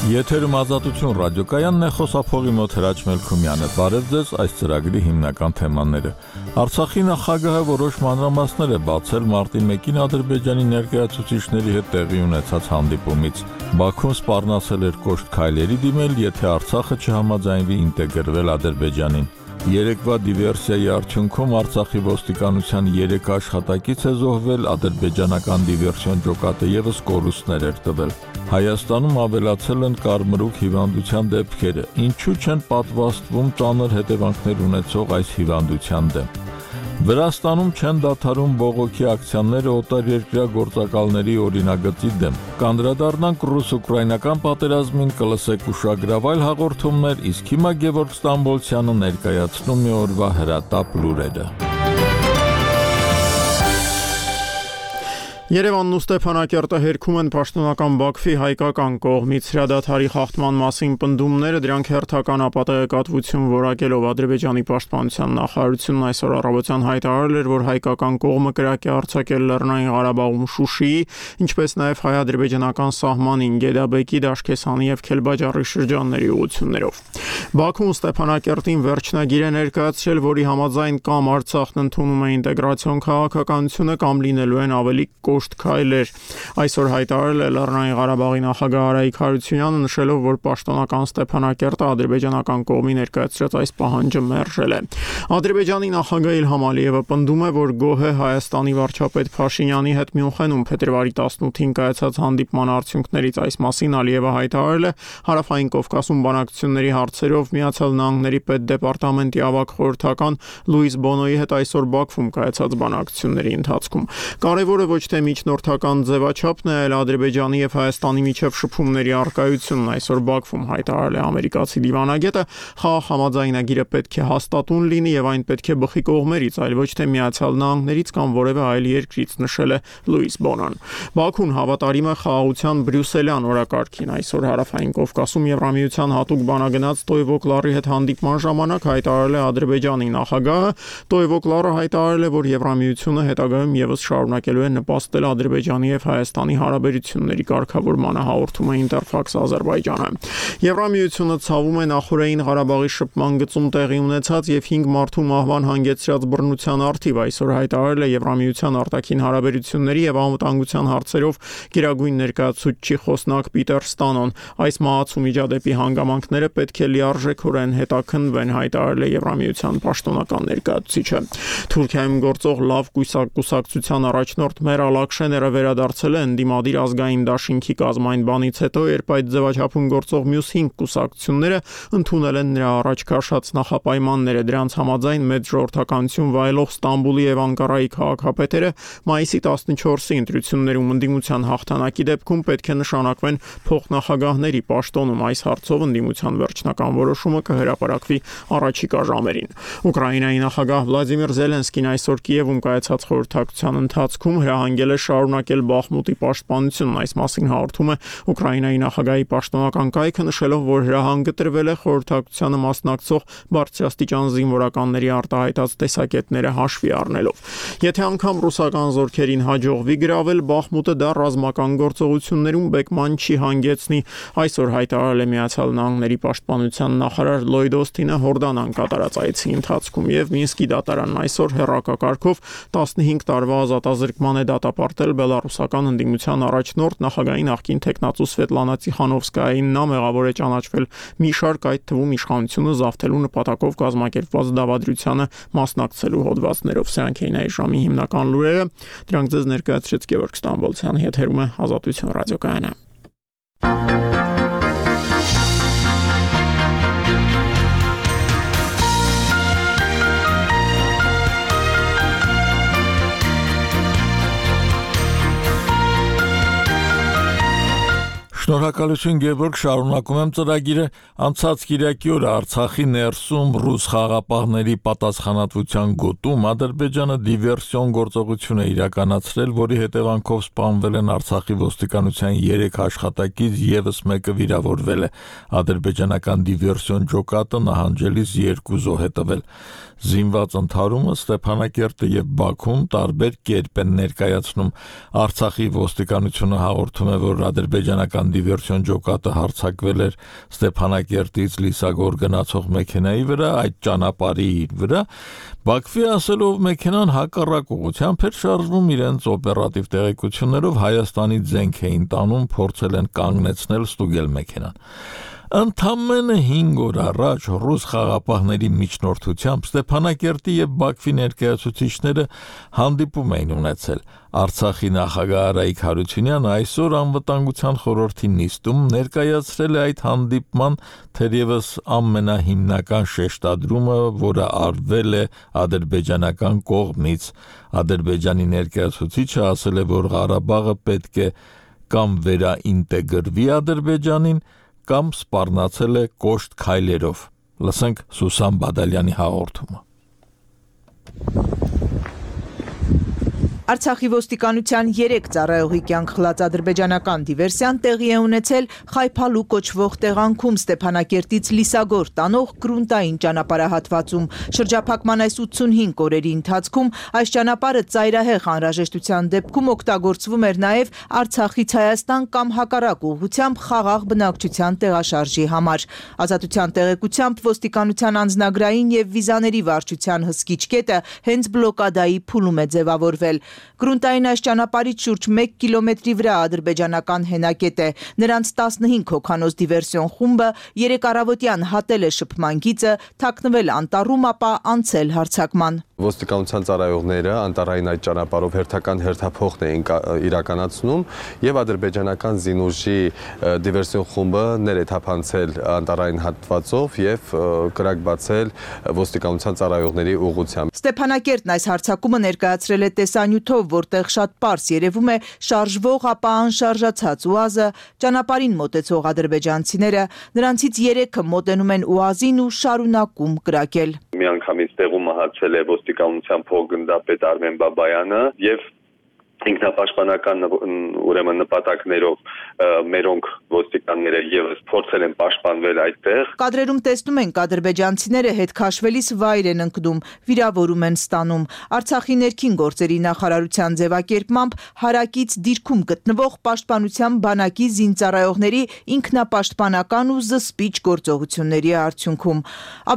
Եթերում Ազատություն ռադիոկայանն է, խոսափողի մոտ Հրաչ Մելքումյանը։ Բարև ձեզ, այս ծրագրի հիմնական թեմաները։ Արցախի նախագահը որոշ մանրամասներ է բացել մարտի 1-ին Ադրբեջանի ներկայացուցիչների հետ տեղի ունեցած հանդիպումից։ Բաքուն սպառնացել էր կոշտ քայլերի դիմել, եթե Արցախը չհամաձայնվի ինտեգրվել Ադրբեջանին։ Երեկվա դիվերսիայի արդյունքում Արցախի ոստիկանության 3 աշխատակից է զոհվել, ադրբեջանական դիվերսիոն ջոկատը ևս կորուստներ էր տվել։ Հայաստանում ավելացել են կարմրուկ հիվանդության դեպքերը։ Ինչու չեն պատվաստվում ծանր հետևանքներ ունեցող այս հիվանդության դեմ։ Վրաստանում չեն դադարում բողոքի ակցիաները օտարերկրյա գործակալների օրինագծի դեմ։ Կանդրադառնանք ռուս-ուկրաինական պատերազմին, կլսեք ուշագրավայր հաղորդումներ, իսկ հիմա Գևորգ Ստամբոլցյանը ներկայացնում է օրվա հրատապ լուրերը։ Երևանն ու Ստեփանակերտը հերքում են պաշտոնական Բաքվի հայկական կողմից հրադադարի խախտման մասին պնդումները, դրանք հերթական ապատեգատվություն որակելով Ադրբեջանի պաշտպանության նախարարությունն այսօր առավոտյան հայտարարել էր, որ հայկական կողմը կրակ է արձակել Լեռնային Ղարաբաղում Շուշիի, ինչպես նաև հայ-ադրբեջանական սահմանին Գեդաբեկի, Դաշկեսանի եւ Քելբաջարի շրջանների ուղղություններով։ Բաքուն Ստեփանակերտին վերջնագիր է ներկայացրել, որի համաձայն կամ Արցախն ընդունում է ինտեգրացիոն քաղաքականությունը, կամ լինելու են ավելի կոշտ քայլեր։ Այսօր հայտարարել է Լեռնային Ղարաբաղի նախագահ Արայիկ Հարությունյանը, նշելով, որ պաշտոնական Ստեփանակերտը ադրբեջանական կողմի ներկայացրած այս պահանջը մերժել է։ Ադրբեջանի նախագահ Իլհամ Ալիևը պնդում է, որ գոհ է Հայաստանի վարչապետ Փաշինյանի հետ Մյունխենում փետրվարի 18-ին կայացած հանդիպման արդյունքներից։ Այս մասին Ալիևը հայտարարել է Հարավային Կովկասում բանակցությունների հարցերով Միացյալ Նահանգների պետդեպարտամենտի ավագ խորհրդական Լուիս Բոնոյի հետ այսօր Բաքվում կայացած բանակցությունների ընթացքում։ Կարևորը ոչ թե միջնորդական ձևաչափն է, այլ Ադրբեջանի եւ Հայաստանի միջև շփումների առկայությունն, այսօր Բաքվում հայտարարել է ամերիկացի դիվանագետը։ Խաղաղ համաձայնագիրը պետք է հաստատուն լինի եւ այն պետք է բխի կողմերից, այլ ոչ թե Միացյալ Նահանգներից կամ որևէ այլ երկրից, նշել է Լուիս Բոնոն։ Բաքուն հավատարիմ է խաղաղության բրյուսելյան օրակարգին։ Այսօր Հարավային Կովկասում Եվրամիության հատուկ բանագնաց Տոյվոկլարի հետ հանդիպման ժամանակ հայտարարել է Ադրբեջանի նախագահը։ Տոյվոկլարը հայտարարել է, որ Եվրամիությունը հետագայում եւս շարունակելու է նպաստել Ադրբեջանի եւ Հայաստանի հարաբերությունների կարգավորմանը, հաղորդում է Ինտերֆաքս Ադրբեջանը։ Եվրամիությունը ցավում է Նախորային Ղարաբաղի շփման գծում տեղի ունեցած եւ 5 մարդու մահվան հանգեցրած բռնության առթիվ այսօր հայտարարել է Եվրամիության արտաքին հարաբերությունների եւ անվտանգության հարցերով գերագույն ներկայացուցիչի խոսնակ Պիտեր Ստանոն։ Այս մահացու միջադեպի հանգամանքները պետք է լիարժեքորեն հետաքննվեն, հայտարարել է Եվրամիության պաշտոնական ներկայացուցիչը։ Թուրքիայում գործող լավ կուսակցության առաջնորդ Մերալ Աքշեները վերադարձել է ընդդիմադիր ազգային դաշինքի կազմային բանից հետո, երբ այդ ձևաչափում գործող մյուս 5 կուսակցությունները ընդունել են նրա առաջ քաշած նախապայմանները։ Դրանց համաձայն մեծ ժողովրդականություն վայելող Ստամբուլի եւ Անկարայի քաղաքապետերը մայիսի 14-ի ընտրություններում ընդդիմության հաղթանակի դեպքում պետք է նշանակվեն փոխնախագահների պաշտոնում։ Այս հարցով ընդդիմության վերջնական որոշումը կհրապարակվի առաջիկա ժամերին։ Ուկրաինայի նախագահ Վլադիմիր Զելենսկին այսօր Կիևում կայացած խորհրդակցության ընթացքում հրահանգել է շարունակել Բախմուտի պաշտպանությունն։ Այս մասին հաղորդում է Ուկրաինայի նախագահի պաշտոնական կայքը, նշելով, որ հրահանգը տրվել է խորհրդակցությանը մասնակցող բարձրաստիճան զինվորականների արտահայտած տեսակետները հաշվի առնելով։ Եթե անգամ ռուսական զորքերին հաջողվի գրավել Բախմուտը, դա ռազմական գործողություններում բեկման չի հանգեցնի, այսօր հայտարարել է Միացյալ Նահանգների պաշտպանության նախարար Լոյդ Օսթինը Հորդանան կատարած այցի ընթացքում, եւ Մինսկի դատարանն այսօր հեռակակարգով 15 տարվա ազատազրկման է դատապարտել բելարուսական ընդդիմության առաջնորդ նախագահի նախկին թեկնածու Սվետլանա Տիխանովսկայային։ Նա մեղավոր է ճանաչվել մի շարք, այդ թվում իշխանությունը զավթելու նպատակով կազմակերպված դավադրությանը մասնակցելու հոդվածներով։ Սրանք էին այս ժամի հիմնական լուրերը։ Դրանք ձեզ ներկայացրեց Գևորգ Ստամբոլցյանը, եթերում է Ազատություն ռադիոկայանը։ Շնորհակալություն Գևորգ, շարունակում եմ ծրագիրը։ Անցած կիրակի օրը Արցախի ներսում ռուս խաղաղապահների պատասխանատվության գոտում Ադրբեջանը դիվերսիոն գործողություն է իրականացրել, որի հետևանքով սպանվել են Արցախի ոստիկանության 3 աշխատակից, եւս մեկը վիրավորվել է։ Ադրբեջանական դիվերսիոն ջոկատը նահանջելիս 2 զոհ է տվել։ Զինված ընդհարումը Ստեփանակերտը եւ Բաքուն տարբեր կերպ են ներկայացնում։ Արցախի ոստիկանությունը հաղորդում է, որ ադրբեջանական դիվերսիոն ջոկատը հարձակվել էր Ստեփանակերտից Լիսագոր գնացող մեքենայի վրա, այդ ճանապարհի վրա, Բաքվի ասելով մեքենան հակառակ ուղղությամբ էր շարժվում իրենց օպերատիվ տեղեկություններով Հայաստանի զենք էին տանում, փորձել են կանգնեցնել, ստուգել մեքենան։ Ընդամենը 5 օր առաջ ռուս խաղապահների միջնորդությամբ Ստեփանակերտի եւ Բաքվի ներկայացուցիչները հանդիպում էին ունեցել։ Արցախի նախագահ Արայիկ Հարությունյանը այսօր անվտանգության խորհրդի նիստում ներկայացրել է այդ հանդիպման թերևս ամենահիմնական շեշտադրումը, որը արվել է ադրբեջանական կողմից։ Ադրբեջանի ներկայացուցիչը ասել է, որ Ղարաբաղը պետք է կամ վերաինտեգրվի Ադրբեջանին, կամ սպառնացել է կոշտ քայլերով։ Լսենք Սուսան Բադալյանի հաղորդումը։ Արցախի ոստիկանության 3 ծառայողի կյանք խլած ադրբեջանական դիվերսիան տեղի է ունեցել Խայփալու կոչվող տեղանքում Ստեփանակերտից Լիսագոր տանող գրունտային ճանապարհահատվածում։ Շրջափակման այս 85 օրերի ընթացքում այս ճանապարհը ծայրահեղ անհրաժեշտության դեպքում օգտագործվում էր նաև Արցախից Հայաստան կամ հակառակ ուղղությամբ խաղաղ բնակչության տեղաշարժի համար։ Ազատության տեղեկությամբ ոստիկանության անձնագրային եւ վիզաների վարչության հսկիչ կետը հենց բլոկադայի փուլում է ձևավորվել։ Գրունտային այս ճանապարհից շուրջ 1 կիլոմետրի վրա ադրբեջանական հենակետ է։ Նրանց 15 հոգանոց դիվերսիոն խումբը 3 առավոտյան հատել է շփման գիծը, թաքնվել անտառում, ապա անցել հարձակման։ Ոստիկանության ծառայողները անտառային այդ ճանապարհով հերթական հերթափոխն էին իրականացնում եւ ադրբեջանական զինուժի դիվերսիոն խումբը ներեթափանցել անտառային հատվածով եւ կրակ բացել ոստիկանության ծառայողների ուղղությամբ։ Ստեփանակերտն այս հարձակումը ներկայացրել է տեսանյութով, որտեղ շատ պարզ երևում է շարժվող, ապա անշարժացած ՈՒԱԶ-ը, ճանապարհին մոտեցող ադրբեջանցիները, նրանցից 3-ը մոտենում են ՈՒԱԶ-ին ու շարունակում կրակել։ Միանգամից տեղում մահացել է ոստիկանության փոխգնդապետ Արմեն Բաբայանը եւ ինքնապաշտպանական ուրեմն նպատակներով մերոնք ոստիկանները եւս փորձել են պաշտպանվել այդտեղ։ Կադրերում տեսնում ենք ադրբեջանցիները հետ քաշվելիս վայր են ընկնում, վիրավորում են ստանում։ Արցախի ներքին գործերի նախարարության ձևակերպմամբ հարակից դիրքում գտնվող պաշտպանության բանակի զինծառայողների ինքնապաշտպանական ու զսպիչ գործողությունների արդյունքում։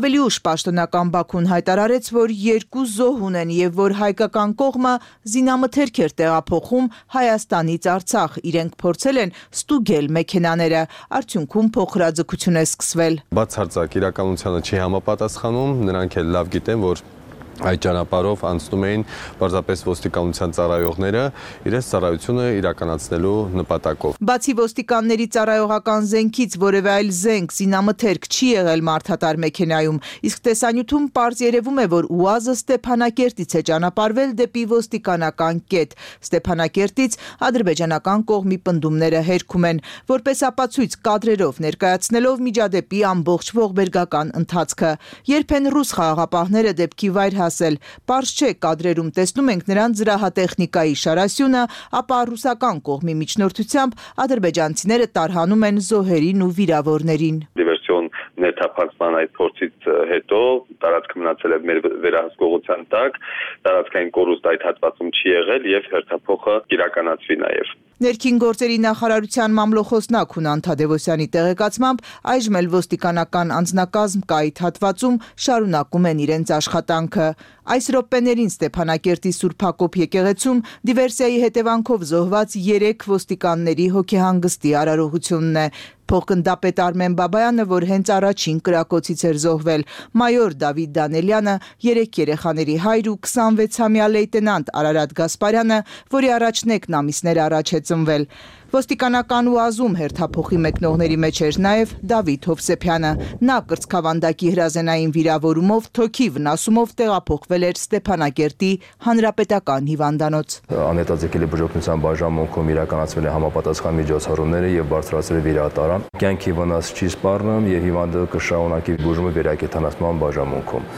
Ավելի ուշ պաշտոնական Բաքուն հայտարարեց, որ 2 զոհ ունեն եւ որ հայկական կողմը զինամթերք էր տեղափոխում Հայաստանից Արցախ, իրենք փորձել են ստուգել մեքենաները, արդյունքում փոխհրաձգություն է սկսվել։ Բացարձակ իրականությանը չի համապատասխանում, նրանք էլ լավ գիտեն, որ այդ ճանապարհով անցնում էին պարզապես ոստիկանության ծառայողները իրենց ծառայությունը իրականացնելու նպատակով։ Բացի ոստիկանների ծառայողական զենքից որևէ այլ զենք, զինամթերք չի եղել մարդատար մեքենայում, իսկ տեսանյութում պարզ երևում է, որ ՈՒԱԶ-ը Ստեփանակերտից է ճանապարհվել դեպի ոստիկանական կետ։ Ստեփանակերտից ադրբեջանական կողմի պնդումները հերքում են, որպես ապացույց կադրերով ներկայացնելով միջադեպի ամբողջ ողբերգական ընթացքը։ Երբ են ռուս խաղաղապահները դեպքի վայր Պարզ չէ, կադրերում տեսնում ենք նրանց զրահատեխնիկայի շարասյունը, ապա ռուսական կողմի միջնորդությամբ ադրբեջանցիները տարհանում են զոհերին ու վիրավորներին։ Դիվերսիոն ներթափանցման այդ փորձից հետո տարածքը մնացել է մեր վերահսկողության տակ, տարածքային կորուստ այդ հատվածում չի եղել եւ հերթափոխը իրականացվի նաեւ։ Ներքին գործերի նախարարության մամլոխոսնակ Հունան Թադևոսյանի տեղեկացմամբ այժմ էլ ոստիկանական անձնակազմ կա այդ հատվածում շարունակում են իրենց աշխատանքը։ Այս րոպեներին Ստեփանակերտի Սուրբ Հակոբ եկեղեցում դիվերսիայի հետևանքով զոհված 3 ոստիկանների հոգեհանգստի արարողությունն է։ Փոխգնդապետ Արմեն Բաբայանը, որ հենց առաջին կրակոցից էր զոհվել, մայոր Դավիթ Դանելյանը, 3 երեխաների հայր ու 26-ամյա լեյտենանտ Արարատ Գասպարյանը, որի առաջնեկն ամիսներ առաջ է ծնվել։ Ոստիկանական ՈՒԱԶ-ում հերթափոխի մեկնողների մեջ էր նաև Դավիթ Հովսեփյանը։ Նա կրծքավանդակի հրազենային վիրավորումով թոքի վնասումով տեղափոխվել էր Ստեփանակերտի հանրապետական հիվանդանոց։ Անհետաձգելի բուժօգնության բաժանմունքում իրականացվել է համապատասխան միջոցառումները եւ բարձրացվել է վիրահատարան։ Կյանքի վնաս չի սպառնում եւ հիվանդը կշարունակի բուժումը վերակենդանացման բաժանմունքում։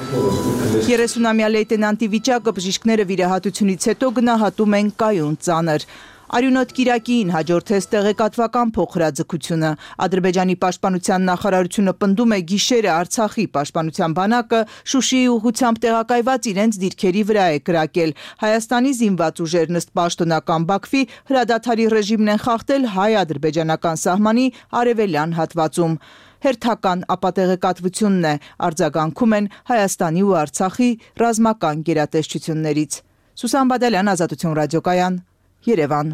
30-ամյա լեյտենանտի վիճակը բժիշկները վիրահատությունից հետո գնահատում են կայուն ծանր։ Արյունոտ Կիրակիին հաջորդեց տեղեկատվական փոխհրաձգությունը։ Ադրբեջանի պաշտպանության նախարարությունը պնդում է գիշերը Արցախի պաշտպանության բանակը Շուշիի ուղղությամբ տեղակայված իրենց դիրքերի վրա է կրակել։ Հայաստանի զինված ուժերն ըստ պաշտոնական Բաքվի հրադադարի ռեժիմն են խախտել հայ-ադրբեջանական սահմանի արևելյան հատվածում։ Հերթական ապատեղեկատվությունն է, արձագանքում են Հայաստանի ու Արցախի ռազմական գերատեսչություններից։ Սուսան Բադալյան, Ազատություն ռադիոկայան, Երևան։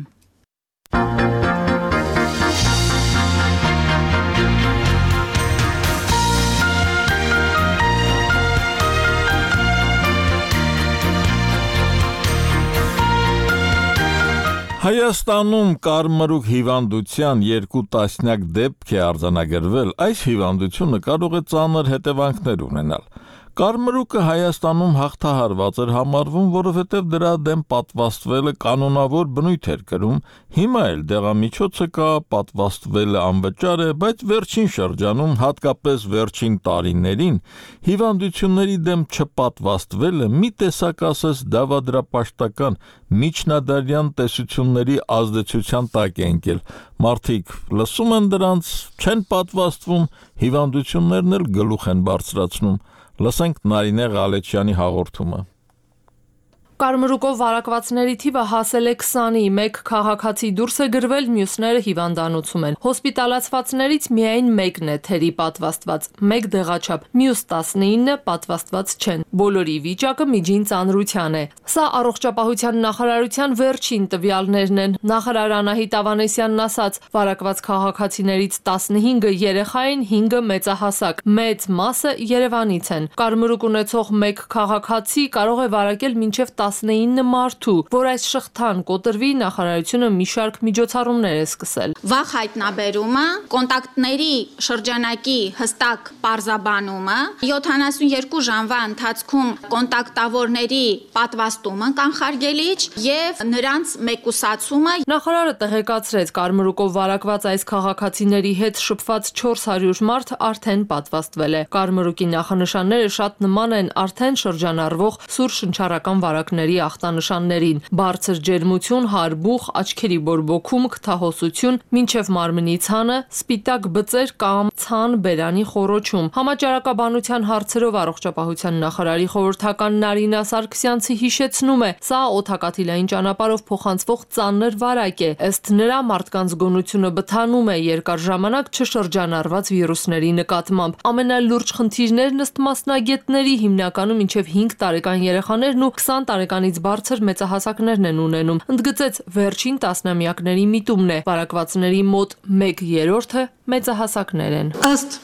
Հայաստանում կարմրուկ հիվանդության 2 տասնյակ դեպք է արձանագրվել, այս հիվանդությունը կարող է ծանր հետևանքներ ունենալ։ Կարմրուկը Հայաստանում հաղթահարված էր համարվում, որովհետև դրա դեմ պատվաստվելը կանոնավոր բնույթ էր կրում, հիմա էլ դեղամիջոցը կա, պատվաստվելը անվճար է, բայց վերջին շրջանում, հատկապես վերջին տարիներին, հիվանդությունների դեմ չպատվաստվելը մի տեսակ ասես դավադրապաշտական միջնադարյան տեսությունների ազդեցության տակ է ընկել։ Մարդիկ լսում են դրանց, չեն պատվաստվում, հիվանդություններն էլ գլուխ են բարձրացնում։ Լսենք Նարինե Ղալեչյանի հաղորդումը։ Կարմրուկով վարակվածների թիվը հասել է 20-ի, մեկ քաղաքացի դուրս է գրվել, մյուսները հիվանդանոցում են։ Հոսպիտալացվածներից միայն մեկն է թերի պատվաստված, մեկ դեղաչափ, մյուս 19-ը պատվաստված չեն։ Բոլորի վիճակը միջին ծանրության է։ Սա առողջապահության նախարարության վերջին տվյալներն են։ Նախարար Անահիտ Ավանեսյանն ասաց, վարակված քաղաքացիներից 15-ը երեխա են, 5-ը մեծահասակ, մեծ մասը Երևանից են։ Կարմրուկ ունեցող մեկ քաղաքացի կարող է վարակել մինչև 19 մարդու, որ այս շղթան կոտրվի, նախարարությունը մի շարք միջոցառումներ է սկսել։ Վաղ հայտնաբերումը, կոնտակտների շրջանակի հստակ պարզաբանումը, 72 ժամվա ընթացքում կոնտակտավորների պատվաստումը կանխարգելիչ եւ նրանց մեկուսացումը։ Նախարարը տեղեկացրեց, կարմրուկով վարակված այս քաղաքացիների հետ շփված 400 մարդ արդեն պատվաստվել է։ Կարմրուկի նախանշանները շատ նման են արդեն շրջանառվող սուր շնչառական վարակների ախտանշաններին՝ բարձր ջերմություն, հարբուխ, աչքերի բորբոքում, քթահոսություն, մինչև մարմնի ցանը, սպիտակ բծեր կամ ցան բերանի խոռոչում։ Համաճարակաբանության հարցերով առողջապահության նախարարի խորհրդական Նարինա Սարգսյանցի հիշեցնում է, սա օդակաթիլային ճանապարհով փոխանցվող ծանր վարակ է։ Ըստ նրա, մարդկանց գոնությունը բթանում է երկար ժամանակ չշրջանառված վիրուսների նկատմամբ։ Ամենալուրջ խնդիրներն ըստ մասնագետների հիմնականում մինչև 5 տարեկան երեխաներն ու 20 տարեկանից բարձր մեծահասակներն են ունենում։ Ընդգծեց, վերջին տասնամյակների միտումն է, վարակվածների մոտ 1/3-ը մեծահասակներ են։ Ըստ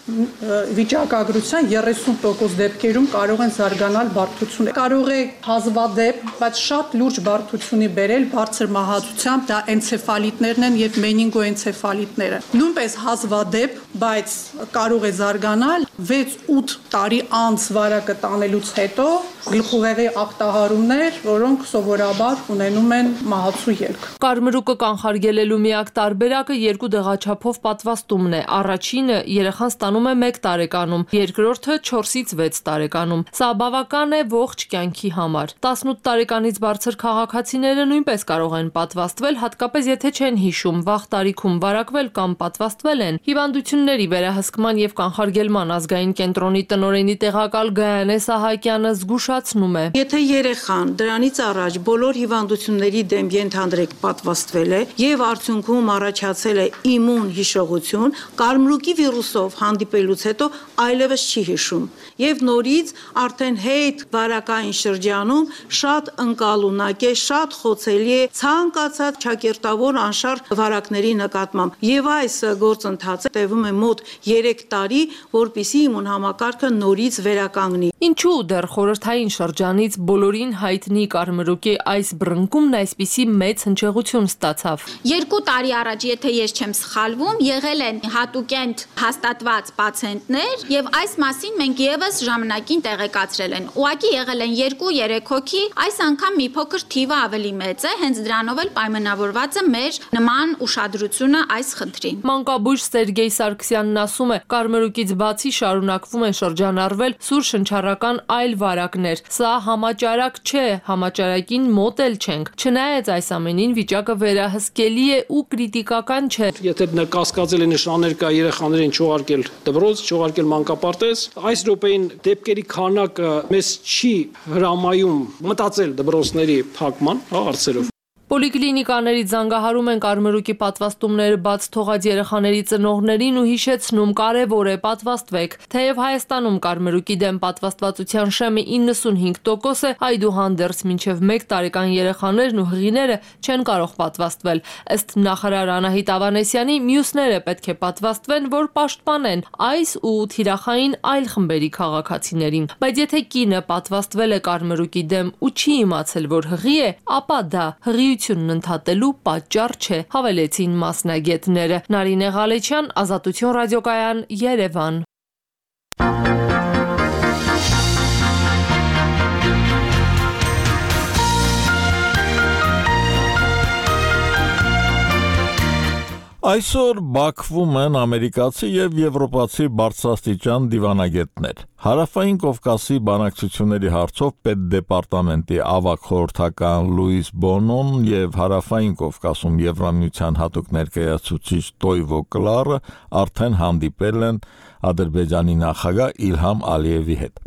վիճակագրության 30% դեպքերում կարող են զարգանալ բարդություն։ Կարող է հազվադեպ, բայց շատ լուրջ բարդությունի բերել բարձր մահացությամբ, դա էնցեֆալիտներն են եւ մենինգոէնցեֆալիտները։ Նույնպես հազվադեպ, բայց կարող է զարգանալ 6-8 տարի անց վարակը տանելուց հետո գլխուղեղի ախտահարումներ, որոնք սովորաբար ունենում են մահացու ելք։ Կարմրուկը կանխարգելելու միակ տարբերակը 2 դեղաչափով պատվաստումն է։ Առաջինը երեխան ստանում է 1 տարեկանում, երկրորդը 4-ից 6 տարեկանում։ Սա բավական է ողջ կյանքի համար։ 18 տարեկանից բարձր քաղաքացիները նույնպես կարող են պատվաստվել, հատկապես եթե չեն հիշում, վաղ տարիքում վարակվել կամ պատվաստվել են։ Հիվանդությունների վերահսկման եւ կանխարգելման ազգային կենտրոնի տնօրենի տեղակալ Գայանե Սահակյանը զգուշացնում է. Եթե երեխան դրանից առաջ բոլոր հիվանդությունների դեմ ենթադրեք պատվաստվել է եւ արդյունքում առաջացել է իմուն հիշողություն, կարմրուկի վիրուսով հանդիպելուց հետո այլևս չի հիշում եւ նորից արդեն հետ վարակային շրջանում շատ ընկալունակ է, շատ խոցելի է ցանկացած ճակերտավոր անշարժ վարակների նկատմամբ եւ այս գործընթացը տևում է մոտ 3 տարի, որպիսի իմուն համակարգը նորից վերականգնի։ Ինչու դեռ խորհրդային շրջանից բոլորին հայտնի կարմրուկի այս բռնկումն այսպիսի մեծ հնչեղություն ստացավ։ 2 տարի առաջ, եթե ես չեմ սխալվում, եղել են հատուկենտ հաստատված պացիենտներ եւ այս մասին մենք եւս ժամանակին տեղեկացրել են։ Ուղղակի եղել են 2-3 հոգի, այս անգամ մի փոքր թիվը ավելի մեծ է, հենց դրանով էլ պայմանավորված է մեր նման ուշադրությունը այս խնդրին։ Մանկաբույժ Սերգեյ Սարգսյանն ասում է, կարմրուկից բացի շարունակվում են շրջանառվել սուր շնչառական քաղաքական այլ վարակներ։ Սա համաճարակ չէ, համաճարակին մոտ էլ չենք։ Չնայած այս ամենին վիճակը վերահսկելի է ու կրիտիկական չէ։ Եթե կասկածելի նշաններ կա երեխաներին չողարկել դպրոց, չողարկել մանկապարտեզ, այս րոպեին դեպքերի քանակը մեզ չի հրամայում մտածել դպրոցների փակման հարցերով։ Պոլիկլինիկաների զանգահարում են կարմրուկի պատվաստումները բաց թողած երեխաների ծնողներին ու հիշեցնում կարևոր է պատվաստվեք։ Թեև Հայաստանում կարմրուկի դեմ պատվաստվածության շեմը 95% է, այդուհանդերձ մինչև 1 տարեկան երեխաներն ու հղիները չեն կարող պատվաստվել։ Ըստ նախարար Անահիտ Ավանեսյանի, մյուսները պետք է պատվաստվեն, որ պաշտպանեն այս ու թիրախային այլ խմբերի քաղաքացիներին։ Բայց եթե կինը պատվաստվել է կարմրուկի դեմ ու չի իմացել, որ հղի է, ապա դա հղիությունն ընդհատելու պատճառ չէ, հավելեցին մասնագետները։ Նարինե Ղալեչյան, Ազատություն ռադիոկայան, Երևան։ Այսօր Բաքվում են ամերիկացի եւ եվրոպացի բարձրաստիճան դիվանագետներ։ Հարավային Կովկասի բանակցությունների հարցով պետդեպարտամենտի ավագ խորհրդական Լուիս Բոնոն եւ Հարավային Կովկասում Եվրամիության հատուկ ներկայացուցիչ Տոյվո Կլարը արդեն հանդիպել են Ադրբեջանի նախագահ Իլհամ Ալիևի հետ։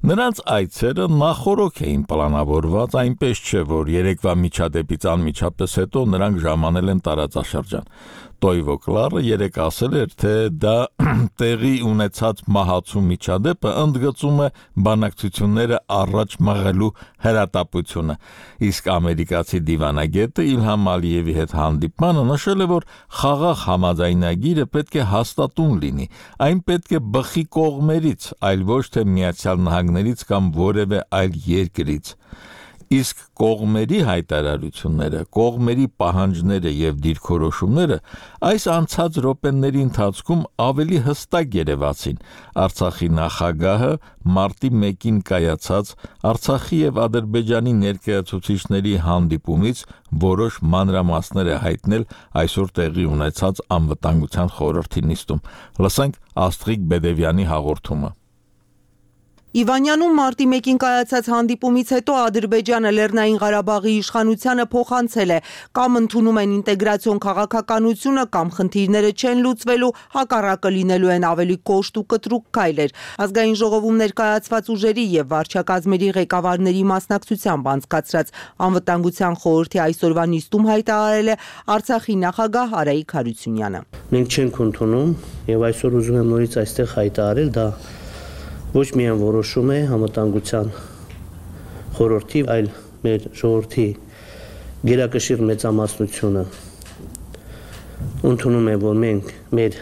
Նրանց այցերը նախորոք էին պլանավորված, այնպես չէ, որ երեկվա միջադեպից անմիջապես հետո նրանք ժամանել են տարածաշրջան։ Տոյվո Կլարը երեկ ասել էր, թե դա տեղի ունեցած մահացու միջադեպը ընդգծում է բանակցությունները առաջ մղելու հրատապությունը, իսկ ամերիկացի դիվանագետը Իլհամ Ալիևի հետ հանդիպմանը նշել է, որ խաղաղ համաձայնագիրը պետք է հաստատուն լինի, այն պետք է բխի կողմերից, այլ ոչ թե Միացյալ Նահանգներից կամ որևէ այլ երկրից։ Իսկ կողմերի հայտարարությունները, կողմերի պահանջները եւ դիրքորոշումները այս անցած րոպեների ընթացքում ավելի հստակ երևացին։ Արցախի նախագահը մարտի 1-ին կայացած Արցախի եւ Ադրբեջանի ներկայացուցիչների հանդիպումից որոշ մանրամասներ է հայտնել այսօր տեղի ունեցած անվտանգության խորհրդի նիստում։ Լսենք Աստրիկ Բեդևյանի հաղորդումը։ Իվանյանում մարտի 1-ին կայացած հանդիպումից հետո Ադրբեջանը Լեռնային Ղարաբաղի իշխանությանը փոխանցել է կամ ընդունում են ինտեգրացիոն քաղաքականությունը, կամ խնդիրները չեն լուծվելու, հակառակը լինելու են ավելի կոշտ ու կտրուկ քայլեր։ Ազգային ժողովում ներկայացված ուժերի եւ վարչակազմերի ղեկավարների մասնակցությամբ անցկացրած անվտանգության խորհրդի այսօրվա նիստում հայտարարել է Արցախի նախագահ Արայիկ Հարությունյանը։ Մենք չենք ընդունում եւ այսօր ուզում եմ նորից այստեղ հայտարարել, դա ոչ միայն որոշում է համատանգության խորհրդի, այլ մեր ժողովրդի գերակշիռ մեծամասնությունը ընդունում է, որ մենք մեր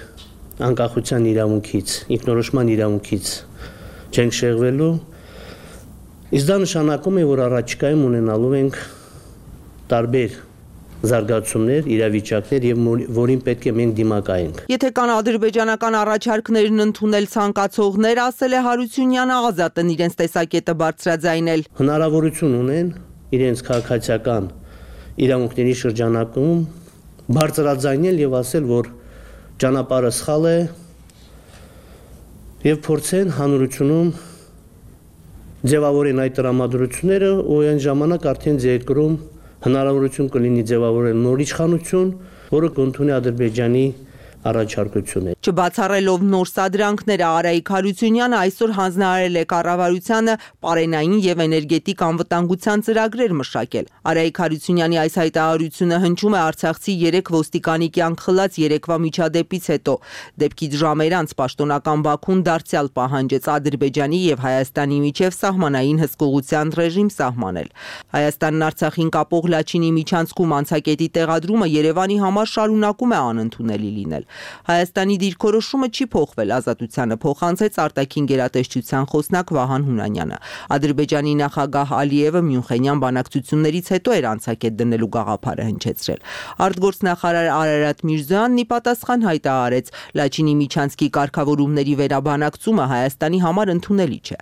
անկախության իրավունքից, ինքնորոշման իրավունքից չենք շեղվելու, իսկ դա նշանակում է, որ առաջիկայում ունենալու ենք տարբեր զարգացումներ, իրավիճակներ եւ որին պետք է մենք դիմակայենք։ Եթե կան ադրբեջանական առաջարկներն ընդունել ցանկացողներ, ասել է Հարությունյանը, ազատ են իրենց տեսակետը բարձրաձայնել։ Հնարավորություն ունեն իրենց քաղաքացիական իրավունքների շրջանակում բարձրաձայնել եւ ասել, որ ճանապարհը սխալ է եւ փորձեն հանրությունում ձևավորեն այդ տրամադրությունները ու այն ժամանակ արդեն երկրում հնարավորություն կլինի ձևավորել նոր իշխանություն, որը կընդունի Ադրբեջանի առաջարկությունը։ Չբացառելով նոր սադրանքները, Արայիկ Հարությունյանը այսօր հանձնարարել է կառավարությանը պարենային եւ էներգետիկ անվտանգության ծրագրեր մշակել։ Արայիկ Հարությունյանի այս հայտարարությունը հնչում է Արցախցի 3 ոստիկանի կյանք խլած երեկվա միջադեպից հետո։ Դեպքից ժամեր անց պաշտոնական Բաքուն դարձյալ պահանջեց Ադրբեջանի եւ Հայաստանի միջև սահմանային հսկողության ռեժիմ սահմանել։ Հայաստանն Արցախին կապող Լաչինի միջանցքում անցակետի տեղադրումը Երևանի համար շարունակում է անընդունելի լինել։ Հայաստանի դիրքորոշումը չի փոխվել, ազատությանը փոխանցեց արտաքին գերատեսչության խոսնակ Վահան Հունանյանը։ Ադրբեջանի նախագահ Ալիևը Մյունխենյան բանակցություններից հետո էր անցակետ դնելու գաղափարը հնչեցրել։ Արտգործնախարար Արարատ Միրզոյանն ի պատասխան հայտարարեց, Լաչինի միջանցքի կարգավորումների վերաբանակցումը Հայաստանի համար ընդունելի չէ։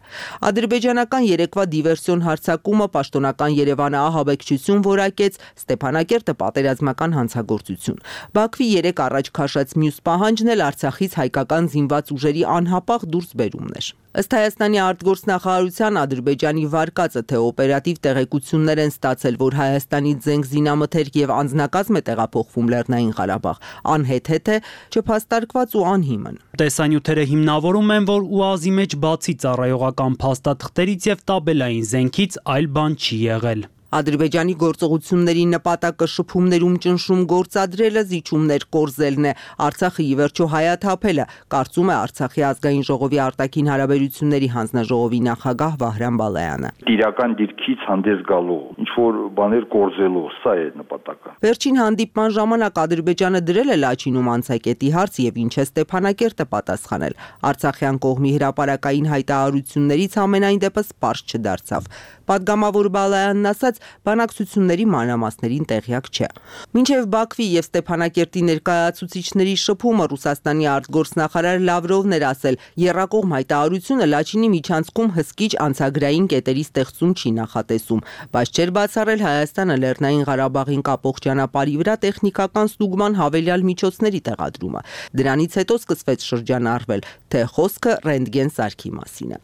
Ադրբեջանական երեկվա դիվերսիոն հարձակումը պաշտոնական Երևանը ահաբեկչություն որակեց, Ստեփանակերտը պատերազմական հանցագործություն։ Բաքվի 3 առաջ քաշած մյուս պահանջն էլ Արցախից հայկական զինված ուժերի անհապաղ դուրսբերումն էր։ Ըստ Հայաստանի արտգործնախարարության Ադրբեջանի վարկածը, թե օպերատիվ տեղեկություններ են ստացել, որ Հայաստանից զենք զինամթերք եւ անձնակազմ է տեղափոխվում Լեռնային Ղարաբաղ, անհեթեթ է, չփաստարկված ու անհիմն։ Տեսանյութերը հիմնավորում են, որ ՈՒԱԶ-ի մեջ բացի ծառայողական փաստաթղթերից եւ տաբելային զենքից այլ բան չի եղել։ Ադրբեջանի գործողությունների նպատակը շփումներում ճնշում գործադրելը, զիջումներ կորզելն է, Արցախը ի վերջո հայաթափելը, կարծում է Արցախի ազգային ժողովի արտաքին հարաբերությունների հանձնաժողովի նախագահ Վահրամ Բալայանը։ Իրական դիրքից հանդես գալու, ինչ որ բաներ կորզելու, սա է նպատակը։ Վերջին հանդիպման ժամանակ Ադրբեջանը դրել է Լաչինում անցակետի հարց եւ ինչ է Ստեփանակերտը պատասխանել։ Արցախյան կողմի հրապարակային հայտարարություններից ամենայն դեպս պարզ չդարձավ։ Պատգամավոր Բալայանն ասաց, բանակցությունների մանրամասներին տեղյակ չէ։ Մինչև Բաքվի եւ Ստեփանակերտի ներկայացուցիչների շփումը Ռուսաստանի արտգործնախարար Լավրովն էր ասել, եռակողմ հայտարարությունը Լաչինի միջանցքում հսկիչ անցագրային կետերի ստեղծում չի նախատեսում, բայց չէր բացառել Հայաստանը Լեռնային Ղարաբաղին կապող ճանապարհի վրա տեխնիկական ստուգման հավելյալ միջոցների տեղադրումը։ Դրանից հետո սկսվեց շրջանառվել, թե խոսքը ռենտգեն սարքի մասին է։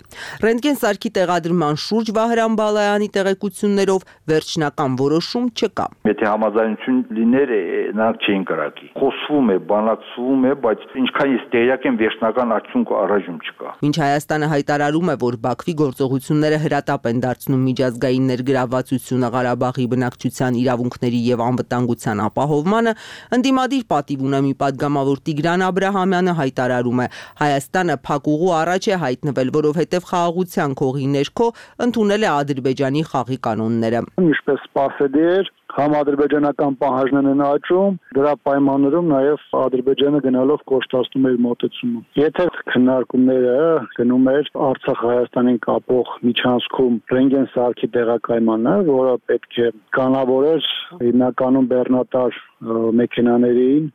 Ռենտգեն սարքի տեղադրման շուրջ Վահրամ Բալայանի տեղեկություններով վերջնական որոշում չկա։ Եթե համաձայնություն լիներ, նրանք չէին կրակի։ Խոսվում է, բանակցվում է, բայց ինչքան ես տեղյակ եմ, վերջնական արդյունք առայժմ չկա։ Մինչ Հայաստանը հայտարարում է, որ Բաքվի գործողությունները հրատապ են դարձնում միջազգային ներգրավվածությունը Ղարաբաղի բնակչության իրավունքների եւ անվտանգության ապահովմանը, ընդդիմադիր պատիվ ունի մի պատգամավոր Տիգրան Աբրահամյանը հայտարարում է, Հայաստանը փակուղու առաջ է հայտնվել, որովհետեւ խաղաղության քողի ներքո ընդունել է Ադրբեջանի խաղի կանոնները։ Ինչպես սպասելի էր, համադրբեջանական պահանջներն են աճում, դրա պայմաններում նաև Ադրբեջանը գնալով կոշտացնում էր մոտեցումը։ Եթե քննարկումները գնում էր Արցախ-Հայաստանին կապող միջանցքում ռենտգեն սարքի տեղակայմանը, որը պետք է կանավորեր հիմնականում բեռնատար մեքենաներին,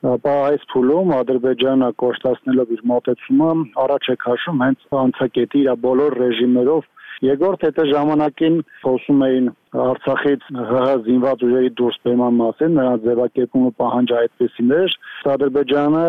ապա այս փուլում Ադրբեջանը կոշտացնելով իր մոտեցումը առաջ է քաշում հենց անցակետի իր բոլոր ռեժիմներով։ Երկրորդ հետը ժամանակին խոսում էին Արցախից ՀՀ զինված ուժերի դուրսբերման մասին, նրանց ձևակերպումը պահանջը այդպեսին էր։ Ադրբեջանը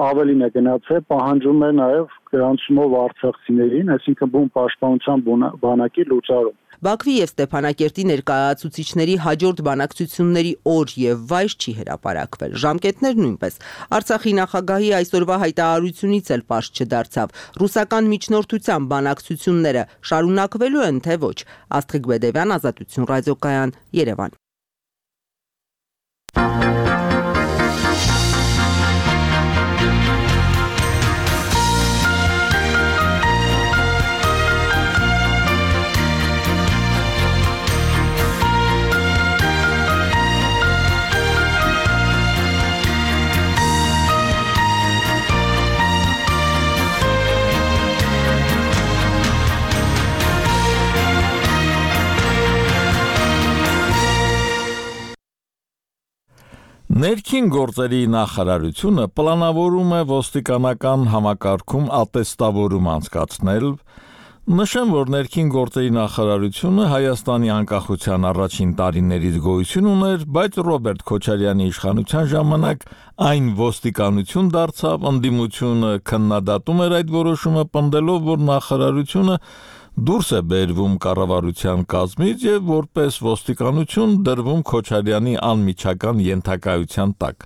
ավելին է գնացել, պահանջում է նաև գրանցումով արցախցիներին, այսինքն բուն պաշտպանության բանակի լուծարում։ Բաքվի եւ Ստեփանակերտի ներկայացուցիչների հաջորդ բանակցությունների օր եւ վայր չի հրապարակվել։ Ժամկետներ նույնպես։ Արցախի նախագահի այսօրվա հայտարարությունից էլ պարզ չդարձավ։ Ռուսական միջնորդության բանակցությունները շարունակվելու են, թե ոչ։ Աստղիկ Բեդևյան, Ազատություն ռադիոկայան, Երևան։ Ներքին գործերի նախարարությունը պլանավորում է ոստիկանական համակարգում ատեստավորում անցկացնել, նշեմ, որ ներքին գործերի նախարարությունը Հայաստանի անկախության առաջին տարիներից գոյություն ուներ, բայց Ռոբերտ Քոչարյանի իշխանության ժամանակ այն ոստիկանություն դարձավ, ընդդիմությունը քննադատում էր այդ որոշումը, պնդելով, որ նախարարությունը դուրս է բերվում կառավարության կազմից եւ որպես ոստիկանություն դրվում Քոչարյանի անմիջական ենթակայության տակ։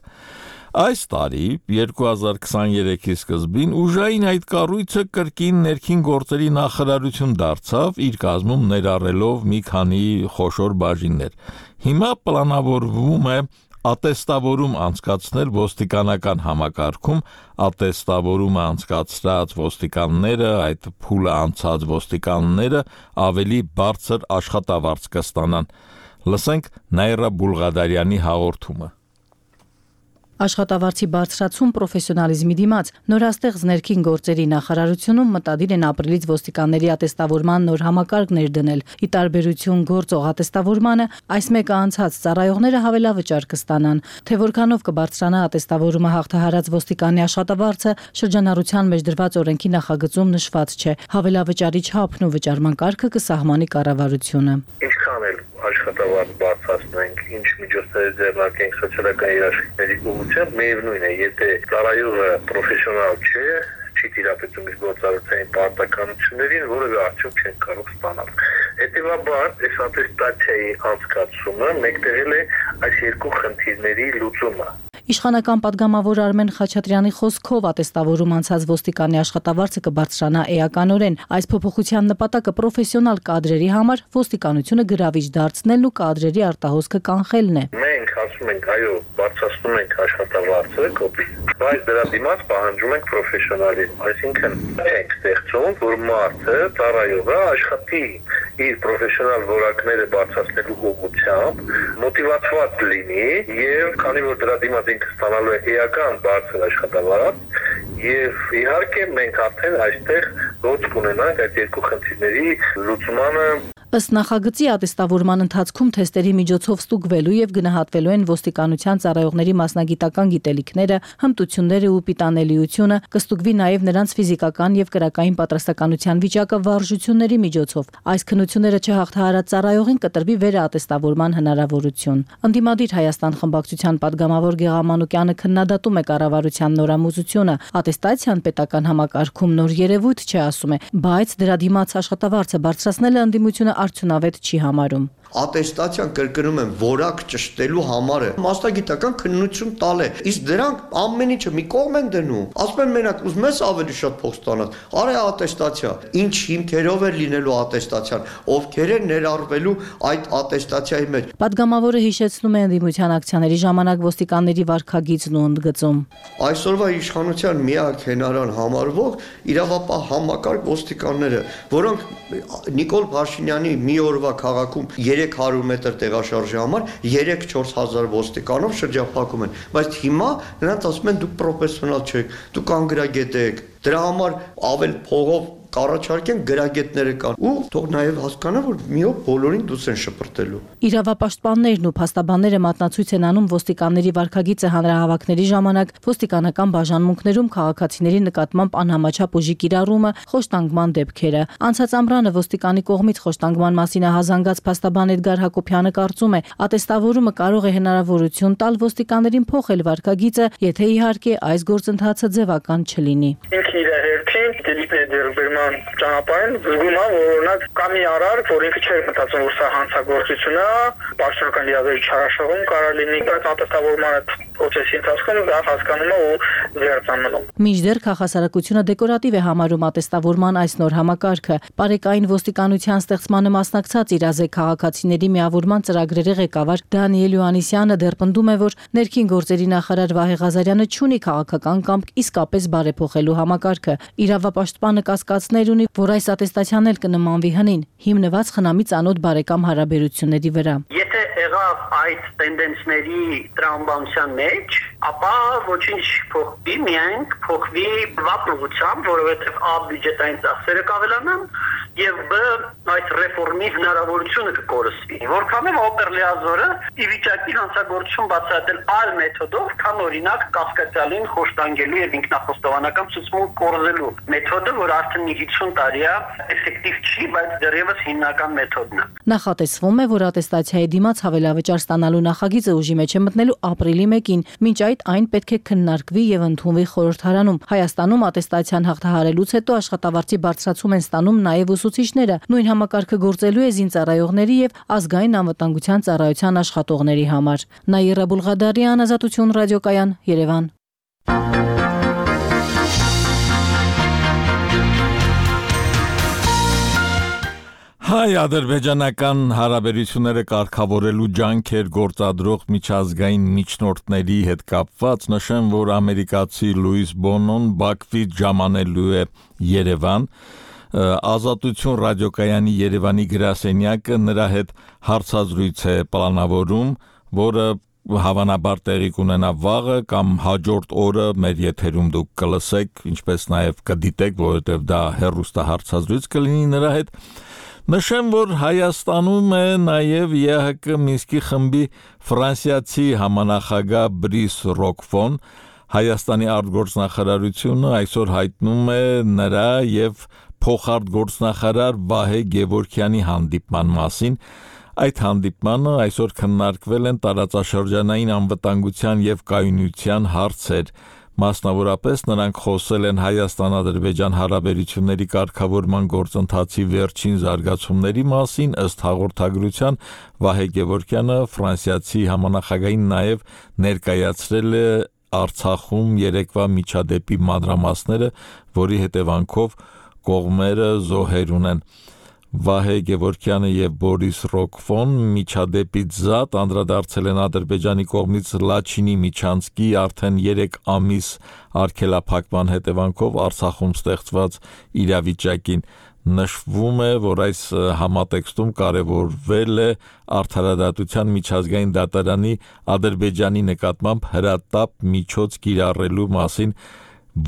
Այս տարի 2023-ի սկզբին ուժային այդ կառույցը կրկին ներքին գործերի նախարարություն դարձավ, իր կազմում ներառելով մի քանի խոշոր բաժիններ։ Հիմա պլանավորվում է ատեստավորում անցկացնել ոստիկանական համակարգում, ատեստավորումը անցկացրած ոստիկանները, այդ փուլը անցած ոստիկանները ավելի բարձր աշխատավարձ կստանան։ Լսենք Նաիրա Բուլղադարյանի հաղորդումը։ Աշխատավարձի բարձրացում պրոֆեսիոնալիզմի դիմաց նորաստեղծ ներքին գործերի նախարարությունում մտադիր են ապրիլից ոստիկանների ատեստավորման նոր համակարգ ներդնել։ Ի տարբերություն գործող ատեստավորմանը, այս մեկը անցած ծառայողները հավելավճար կստանան։ Թե որքանով կբարձրանա ատեստավորումը հաղթահարած ոստիկանի աշխատավարձը, շրջանառության մեջ դրված օրենքի նախագծում նշված չէ։ Հավելավճարի չափն ու վճարման կարգը կսահմանի կառավարությունը։ Ինչքան էլ աշխատավարձ բարձրացնենք, ինչ միջոցներ ձեռնարկենք սոցիալական երաշխիքների ուղղությամբ, միևնույն է, եթե ծառայողը պրոֆեսիոնալ չէ, չի տիրապետում իր գործառույթային պարտականություններին, որևէ արդյունք չեն կարող ստանալ։ Հետևաբար, այս ատեստացիայի անցկացումը մեկտեղել է այս երկու խնդիրների լուծումը։ Իշխանական պատգամավոր Արմեն Խաչատրյանի խոսքով ատեստավորում անցած ոստիկանի աշխատավարձը կբարձրանա էականորեն։ Այս փոփոխության նպատակը պրոֆեսիոնալ կադրերի համար ոստիկանությունը գրավիչ դարձնելն ու կադրերի արտահոսքը կանխելն է։ Մենք ասում ենք, այո, բարձրացնում ենք աշխատավարձը, բայց դրա դիմաց պահանջում ենք պրոֆեսիոնալիզմ, այսինքն չենք ստեղծում, որ մարդը, ծառայողը աշխատի իր պրոֆեսիոնալ որակները բարձրացնելու ուղղությամբ, մոտիվացված լինի եւ քանի որ դրա դիմաց ինքը ստանալու է էական բարձր աշխատավարձ եւ իհարկե մենք արդեն այստեղ ոչ կունենանք այդ երկու խնդիրների լուծմանը։ Ըստ նախագծի ատեստավորման ընթացքում թեստերի միջոցով ստուգվելու եւ գնահատվելու են ոստիկանության ծառայողների մասնագիտական գիտելիքները, հմտությունները ու պիտանելիությունը, կստուգվի նաեւ նրանց ֆիզիկական եւ կրակային պատրաստականության վիճակը վարժությունների միջոցով։ Այս քննությունները չհաղթահարած ծառայողին կտրվի վերաատեստավորման հնարավորություն։ Անդիմադիր Հայաստան խմբակցության պատգամավոր Գեղամ Մանուկյանը քննադատում է կառավարության նորամուծությունը։ Ատեստացիան պետական համակարգում նոր երևույթ չէ, ասում է, բայց դրա դիմաց աշխատավարձը բարձրացնելը ընդդիմությունը արդյունավետ չի համարում։ Ատեստացիան կրկնում եմ որակ ճշտելու համար է մասնագիտական քննություն տալ է իսկ դրանք ամեն ինչը մի կողմ են դնում ասում են մենակ ուզում ես ավելի շատ փող ստանալ արի ատեստացիա ինչ հիմքերով է լինելու ատեստացիան ովքեր են ներառվելու այդ ատեստացիայի մեջ Պատգամավորը հիշեցնում է ընդդիմության ակցիաների ժամանակ ոստիկանների վարքագիծն ու ընդգծում այսօրվա իշխանության միակ հենարան համարվող իրավապահ համակարգ ոստիկանները որոնք Նիկոլ Փաշինյանի մի օրվա քաղաքում 300 մետր տեղաշարժի համար 3-4 հազար ոստիկանով շրջափակում են, բայց հիմա նրանց ասում են դուք պրոֆեսիոնալ չեք, դուք անգրագետ եք, դրա համար ավել փողով կառաջարկեն գրագետները կան ու թող նաև հասկանա որ մի օր բոլորին դուս են շպրտելու Իրավապաշտպաններն ու փաստաբանները մատնացույց են անում ոստիկանների վարքագիծը հանրահավաքների ժամանակ ոստիկանական բաժանմունքներում քաղաքացիների նկատմամբ անհամաչափ ուժի կիրառումը խոշտանգման դեպքերը անցած ամռանը ոստիկանի կողմից խոշտանգման մասին ահազանգած փաստաբան Էդգար Հակոբյանը կարծում է ատեստավորումը կարող է հնարավորություն տալ ոստիկաներին փոխել վարքագիծը եթե իհարկե այս գործընթացը ձևական չլինի ճանապարհին զգում եմ որ օրինակ կա մի արար որ ինքը չէր մտածում որ սա հանցագործություն է պաշտոնական իրավերի չարաշահում կարող լինի բայց ատեստավորման process-ի ընթացքում դա հասկանում է ու վերցանում Մինչդեռ քաղաքասարակությունը դեկորատիվ է համարում ատեստավորման այս նոր համակարգը Պարեկային ոստիկանության ստեղծմանը մասնակցած իրազեկ քաղաքացիների միավորման ծրագրերի ղեկավար Դանիել Յուանիսյանը դեռ պնդում է որ ներքին գործերի նախարար Վահե Ղազարյանը չունի քաղաքական կամք իսկապես բարեփոխելու համակարգը Իրավապաշտպանը կասկածներ ունի, որ այս ատեստացիան էլ կնմանվի հնին, հիմնված խնամի ծանոթ բարեկամ հարաբերությունների վրա։ Եթե եղավ այդ տենդենսների տրամաբանության մեջ, ապա ոչինչ փոխվի, միայն փոխվի վապրուղությամբ, որովհետև A բյուջետային ծախսերը կավելանան եւ B այդ ռեֆորմի հնարավորությունը կկորսվի։ Որքանով օպերլիազորը ի վիճակի հանցագործություն բացահայտել այլ մեթոդով, քան օրինակ կասկածյալին խոշտանգելու եւ ինքնախոստովանական ցուցմունք կորզելու մեթոդը, որ արդեն 50 տարի է էֆեկտիվ չի, բայց դեռևս հիմնական մեթոդն է։ Նախատեսվում է, որ ատեստացիայի դիմաց հավելավճար ստանալու նախագիծը ուժի մեջ է մտնելու ապրիլի 1-ին, մինչ այդ այն պետք է քննարկվի եւ ընդունվի խորհրդարանում։ Հայաստանում ատեստացիան հաղթահարելուց հետո աշխատավարձի բարձրացում են ստանում նաեւ ուսուցիչները։ Նույն համակարգը գործելու է զինծառայողների եւ ազգային անվտանգության ծառայության աշխատողների համար։ Նաիրա Բուլղադարյան, Ազատություն ռադիոկայան, Երևան։ Հայ-ադրբեջանական հարաբերությունները կարգավորելու ջանքեր գործադրող միջազգային միջնորդների հետ կապված նշեմ, որ ամերիկացի Լուիս Բոնոն Բաքվից ժամանելու է Երևան, Ազատություն ռադիոկայանի Երևանի գրասենյակը նրա հետ հարցազրույց է պլանավորում, որը հավանաբար տեղի կունենա վաղը կամ հաջորդ օրը մեր եթերում դուք կլսեք, ինչպես նաև կդիտեք, որովհետև դա հեռուստահարցազրույց կլինի նրա հետ Նշեմ, որ Հայաստանում է նաև ԵՀԿ Մինսկի խմբի ֆրանսիացի համանախագահ Բրիս Ռոկֆոն, Հայաստանի արտգործնախարարությունը այսօր հայտնում է նրա եւ փոխարտգործնախարար Վահե Գևորգյանի հանդիպման մասին, Այդ հանդիպմանը այսօր քննարկվել են տարածաշրջանային անվտանգության եւ կայունության հարցեր։ Մասնավորապես նրանք խոսել են Հայաստան-Ադրբեջան հարաբերությունների կարգավորման գործընթացի վերջին զարգացումների մասին, ըստ հաղորդագրության Վահե Գևորգյանը ֆրանսիացի համանախագահին նաեւ ներկայացրել է Արցախում երեկվա միջադեպի մանրամասները, որի հետևանքով կողմերը զոհեր ունեն։ Վահե Գևորգյանը եւ Բորիս Ռոկֆոն միջադեպից զատ անդրադարձել են Ադրբեջանի կողմից Լաչինի Միչանսկի արդեն 3 ամիս արգելափակման հետևանքով Արցախում ստեղծված իրավիճակին։ Նշվում է, որ այս համատեքստում կարևորվել է Արդարադատության միջազգային դատարանի Ադրբեջանի նկատմամբ հրատապ միջոց կիրառելու մասին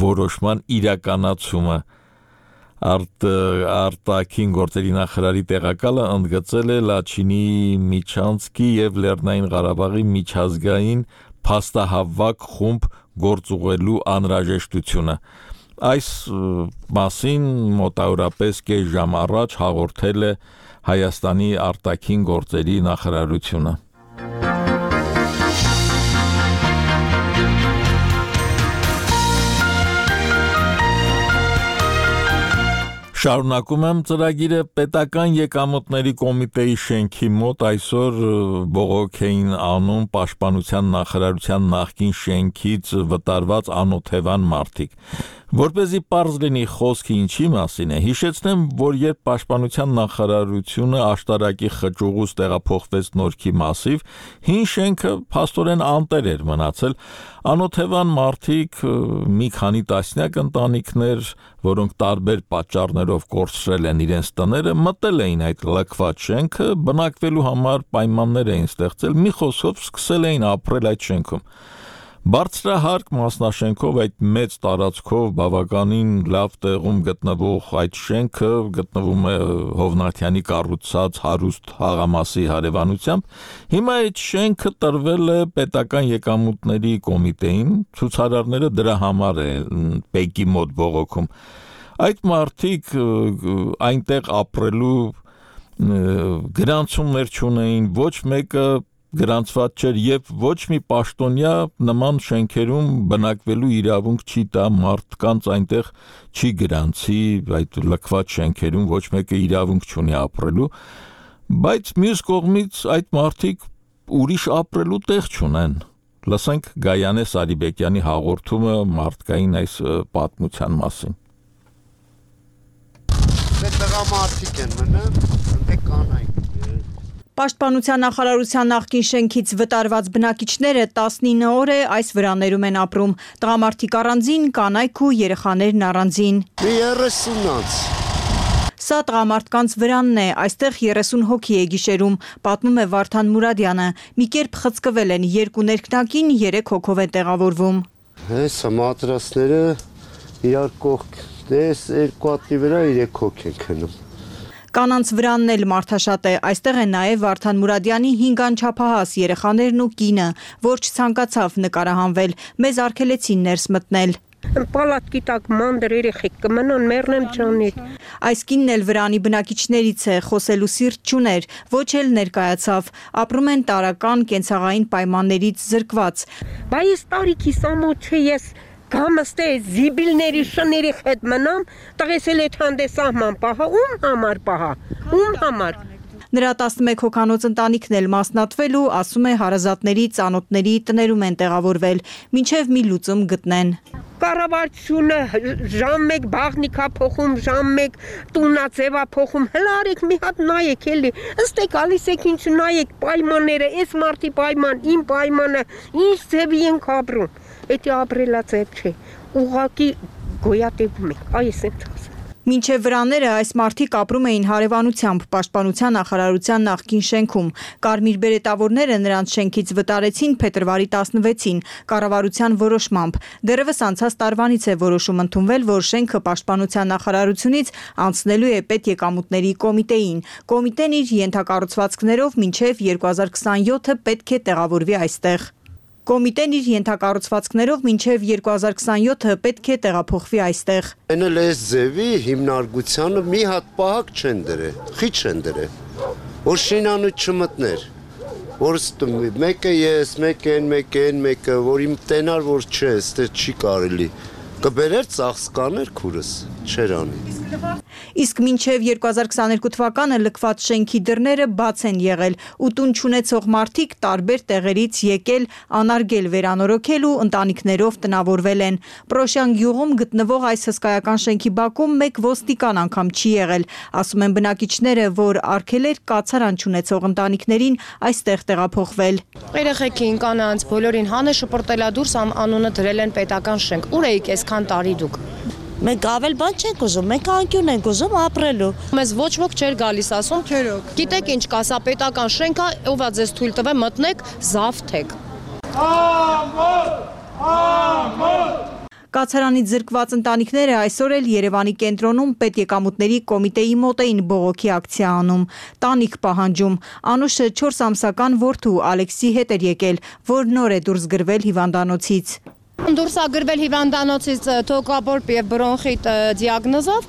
որոշման իրականացումը։ Արտաքին գործերի նախարարի տեղակալը ընդգծել է Լաչինի Միչանսկի եւ Լեռնային Ղարաբաղի միջազգային փաստահավաք խումբ գործուղելու անհրաժեշտությունը։ Այս մասին մոտավորապես կես ժամ առաջ հաղորդել է Հայաստանի արտաքին գործերի նախարարությունը։ Շարունակում եմ ծրագիրը պետական եկամուտների կոմիտեի շենքի մոտ այսօր բողոք էին անում պաշտպանության նախարարության նախկին շենքից վտարված անօթևան մարդիկ։ Որպեսզի պարզ լինի խոսքը ինչի մասին է, հիշեցնեմ, որ երբ պաշտպանության նախարարությունը աշտարակի խճուղուց տեղափոխվեց Նորքի մասիվ, հին շենքը փաստորեն անտեր էր մնացել, անօթևան մարդիկ, մի քանի տասնյակ ընտանիքներ, որոնք տարբեր պատճառներով կորցրել են իրենց տները, մտել էին այդ լքված շենքը, բնակվելու համար պայմաններ էին ստեղծել, մի խոսքով սկսել էին ապրել այդ շենքում։ Բարձրահարկ մասնաշենքով այդ մեծ տարածքով բավականին լավ տեղում գտնվող այդ շենքը գտնվում է Հովնաթյանի կառուցած հարուստ հաղամասի հարևանությամբ, հիմա այդ շենքը տրվել է պետական եկամուտների կոմիտեին, ցուցարարները դրա համար են Պեկի մոտ բողոքում։ Այդ մարդիկ այնտեղ ապրելու գրանցումներ չունեին, ոչ մեկը գրանցված չէր եւ ոչ մի պաշտոնյա նման շենքերում բնակվելու իրավունք չի տա մարդկանց այնտեղ չի գրանցի այդ լքված շենքերում ոչ մեկը իրավունք չունի ապրելու, բայց մյուս կողմից այդ մարդիկ ուրիշ ապրելու տեղ չունեն։ Լսենք Գայանե Սարիբեկյանի հաղորդումը մարդկային այս պատմության մասին։ Տղամարդիկ են մնում, ընդ կանայք։ Պաշտպանության նախարարության նախկին շենքից վտարված բնակիչները 19 օր է այս վրաներում են ապրում։ Տղամարդիկ առանձին, կանայք ու երեխաներն առանձին։ 30-ից։ Սա տղամարդկանց վրանն է, այստեղ 30 հոգի է գիշերում, պատմում է Վարդան Մուրադյանը։ Մի կերպ խցկվել են 2 ներքնակին, 3 հոգով են տեղավորվում։ Հեսա մատրասները իրար կողք, դες 2 հատի վրա 3 հոգ են քնում։ Կանանց վրանն էլ մարդաշատ է, այստեղ է նաև Վարդան Մուրադյանի 5 անչափահաս երեխաներն ու կինը, որ չցանկացավ նկարահանվել, մեզ արգելեցին ներս մտնել։ Պալատքի տակ մանր երեխեք կմնան, մեռնեմ ջանից։ Այս կինն էլ վրանի բնակիչներից է, խոսելու սիրտ չուներ, ոչ էլ ներկայացավ, ապրում են տարական կենցաղային պայմաններից զրկված։ Բայց տարիքիս ամոթ չէ ես Կամստե զիբիլների շների հետ մնամ, տղես էլ էդ հանդեսահման պահա, ում համար պահա, ում համար։ Նրա 11 հոգանոց ընտանիքն էլ մասնատվել ու ասում է հարազատների, ծանոթների տներում են տեղավորվել, մինչև մի լուծում գտնեն։ Կառավարությունը ժամ 1 բաղնիկա փոխում, ժամ 1 տունաձևա փոխում, հələ արեք մի հատ նայեք էլի, ըստ է գալիս եք ինչ նայեք պայմանները, այս մարտի պայման, իմ պայմանը, ինչ ձևի ենք ապրում։ Էդի ապրելացեպ չէ, ուղղակի գոյատևում ենք, այս եմ ասում։ Մինչև վրաները այս մարդիկ ապրում էին հարևանությամբ պաշտպանության նախարարության նախկին շենքում։ Կարմիր բերետավորները նրանց շենքից վտարեցին փետրվարի 16-ին կառավարության որոշմամբ։ Դեռևս անցած տարվանից է որոշում ընդունվել, որ շենքը պաշտպանության նախարարությունից անցնելու է պետեկամուտների կոմիտեին։ Կոմիտեն իր ենթակառուցվածքներով մինչև 2027-ը պետք է տեղավորվի այստեղ։ Կոմիտեն իր ենթակառուցվածքներով մինչև 2027-ը պետք է տեղափոխվի այստեղ։ Էնել այս ձևի հիմնարկությանը մի հատ պահակ չեն դրել, խիչ են դրել։ որ շինանու չմտներ, որ մեկը ես, մեկը են, մեկը, որ իմ տենար, որ չէ, ստե չի կարելի, կբերեր ծախսկաներ քուրս, չեր անի։ Իսկ մինչև 2022 թվականը լքված շենքի դռները բաց են եղել ու տուն չունեցող մարդիկ տարբեր տեղերից եկել անարգել վերանորոգել ու ընտանիքներով տնավորվել են։ Պրոշյան գյուղում գտնվող այս հսկայական շենքի բակում մեկ ոստիկան անգամ չի եղել, ասում են բնակիչները, որ արգելեր կացարան չունեցող ընտանիքներին այստեղ տեղափոխվել։ Երեխեքին, կանանց, բոլորին հանը շպրտելա դուրս անունը դրել են պետական շենք։ Ուր էիք այսքան տարի դուք։ Մենք ավել բան չենք ուզում, մենք անկյուն ենք ուզում ապրելու։ Մեզ ոչ ոք չէր գալիս ասում, գիտեք ինչ կա, սա պետական շենք է, ով է ձեզ թույլ տվել, մտնեք, զավթեք։ Կացարանից զրկված ընտանիքները այսօր էլ Երևանի կենտրոնում պետեկամուտների կոմիտեի մոտ էին բողոքի ակցիա անում, տանիք պահանջում։ Անուշը 4 ամսական որդու Ալեքսի հետ էր եկել, որ նոր է դուրս գրվել հիվանդանոցից։ Դուրս է գրվել հիվանդանոցից թոքաբորբ եւ բրոնխիտ դիագնոզով,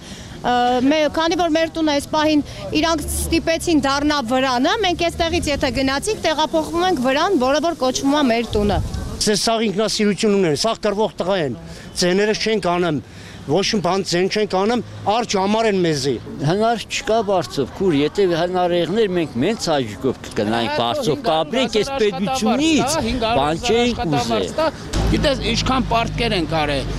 քանի որ մեր տունը այս պահին իրանք ստիպեցին դառնա վրանը, մենք այստեղից եթե գնացինք, տեղափոխվում ենք վրան, որը որ կոչվում է մեր տունը։ Սաղ ինքնասիրություն ունեն, սաղ կրվող տղա են, ձեները չենք անեմ, ոչ մի բան ձեն չենք անեմ, արջ համար են մեզի։ Հնար չկա բարձով, քուր, եթե հնար եղներ մենք մենց հաջիկով կգնայինք բարձով, կապրենք այս պետությունից, բան չենք ուզել։ Գիտես, ինչքան պարտքեր են կարել,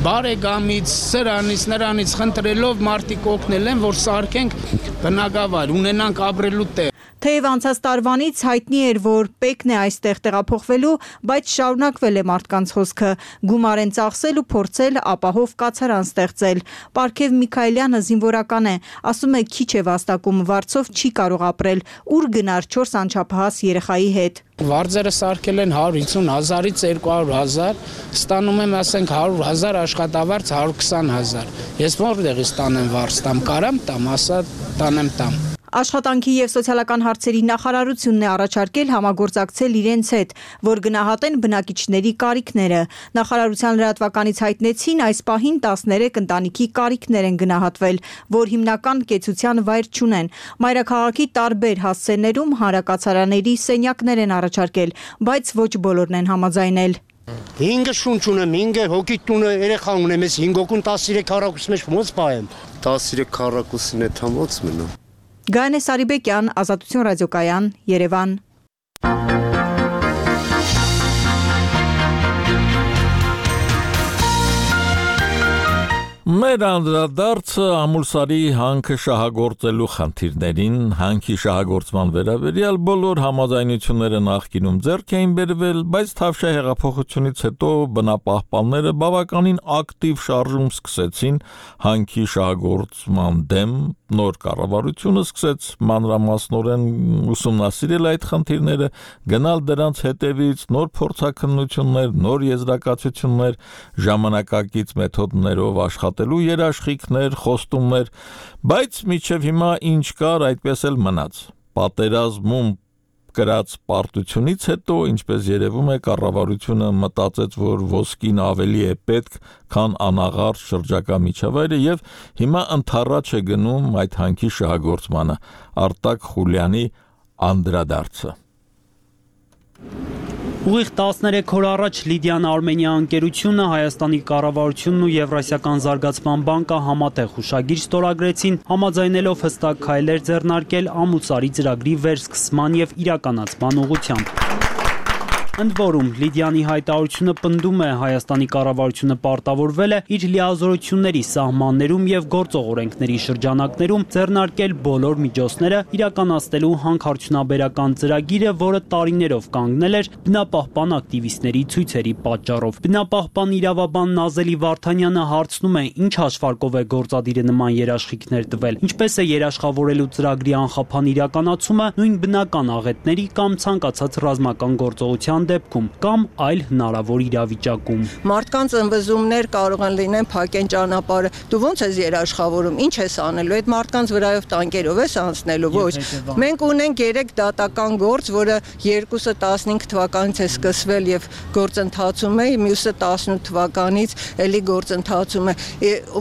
բարեկամից, սրանից, նրանից խնդրելով մարդիկ օգնել են, որ սարքենք բնակավայր, ունենանք ապրելու տեղ։ Թեև անցած տարվանից հայտնի էր, որ պեկն է այստեղ տեղափոխվելու, բայց շարունակվել է մարդկանց հոսքը, գումար են ծախսել ու փորձել ապահով կացարան ստեղծել։ Պարքև Միքայելյանը զինվորական է, ասում է քիչ է վաստակում, վարձով չի կարող ապրել, ուր գնար 4 անչափահաս երեխայի հետ։ Վարձերը սարքել են 150,000-ից 200,000, ստանում եմ ասենք 100,000 աշխատավարձ 120,000։ Ես որտեղից տանեմ վարձ տամ, կարամ տամ, ասա տանեմ տամ։ Աշխատանքի և սոցիալական հարցերի նախարարությունն է առաջարկել համագործակցել իրենց հետ, որ գնահատեն բնակիչների կարիքները։ Նախարարության լրատվականից հայտնեցին այս պահին 13 ընտանիքի կարիքներ են գնահատվել, որ հիմնական կեցության վայր չունեն։ Մայրաքաղաքի տարբեր հասցեներում հանրակացարանների սենյակներ են առաջարկել, բայց ոչ բոլորն են համաձայնել։ 5 շունչ ունեմ, 5 հոգի տունը երեխա ունեմ, ես 5 հոգուն 13 քառակուսի մեջ ոնց պահեմ։ 13 քառակուսին է թամոց մնա։ Գայանե Սարիբեկյան, Ազատություն ռադիոկայան, Երևան։ Մեր անդրադարձը ամուլսարի հանքը շահագործելու խնդիրներին, հանքի շահագործման վերաբերյալ բոլոր համաձայնությունները նախկինում ձեռք էին բերվել, բայց Թավշյա հեղափոխությունից հետո բնապահպանները բավականին ակտիվ շարժում սկսեցին հանքի շահագործման դեմ, նոր կառավարությունը սկսեց մանրամասնորեն ուսումնասիրել այդ խնդիրները, գնալ դրանց հետևից, նոր փորձաքննություններ, նոր եզրակացություններ, ժամանակակից մեթոդներով աշխատելու երաշխիքներ, խոստումներ, բայց մինչև հիմա ինչ կար, այդպես էլ մնաց։ Պատերազմում կրած պարտությունից հետո, ինչպես երևում է, կառավարությունը մտածեց, որ ոսկին ավելի է պետք, քան անաղարտ շրջակա միջավայրը եւ հիմա ընդառաջ է գնում այդ հանքի շահագործմանը։ Արտակ Խուլյանի անդրադարձը։ Ուղիղ 13 օր առաջ Լիդիան Արմենիա ընկերությունը, Հայաստանի կառավարությունն ու Եվրասիական զարգացման բանկը համատեղ հուշագիր ստորագրեցին, համաձայնելով հստակ քայլեր ձեռնարկել ամուսարի ծրագրի վերսկսման եւ իրականացման ուղղությամբ։ Ընդ որում, Լիդիանի հայտարարությունը պնդում է Հայաստանի կառավարությունը պարտավորվել է իր լիազորությունների սահմաններում եւ գործող օրենքների շրջանակներում ձեռնարկել բոլոր միջոցները իրականացնելու հանքարդյունաբերական ծրագիրը, որը տարիներով կանգնել էր բնապահպան ակտիվիստների ցույցերի պատճառով։ Բնապահպան իրավաբան Նազելի Վարդանյանը հարցնում է, ինչ հաշվարկով է գործադիրը նման երաշխիքներ տվել, ինչպես է երաշխավորելու ծրագրի անխափան իրականացումը նույն բնական աղետների կամ ցանկացած ռազմական գործողության դեպքում կամ այլ հնարավոր իրավիճակում։ Մարդկանց ըմբզումներ կարող են լինեն փակեն ճանապարհը։ Դու ո՞նց ես երաշխավորում, ինչ ես անելու, այդ մարդկանց վրայով տանկերով ես անցնելու, ոչ։ Մենք ունենք 3 դատական գործ, որը երկուսը 15 թվականից է սկսվել եւ գործընթացում է, մյուսը 18 թվականից էլի գործընթացում է։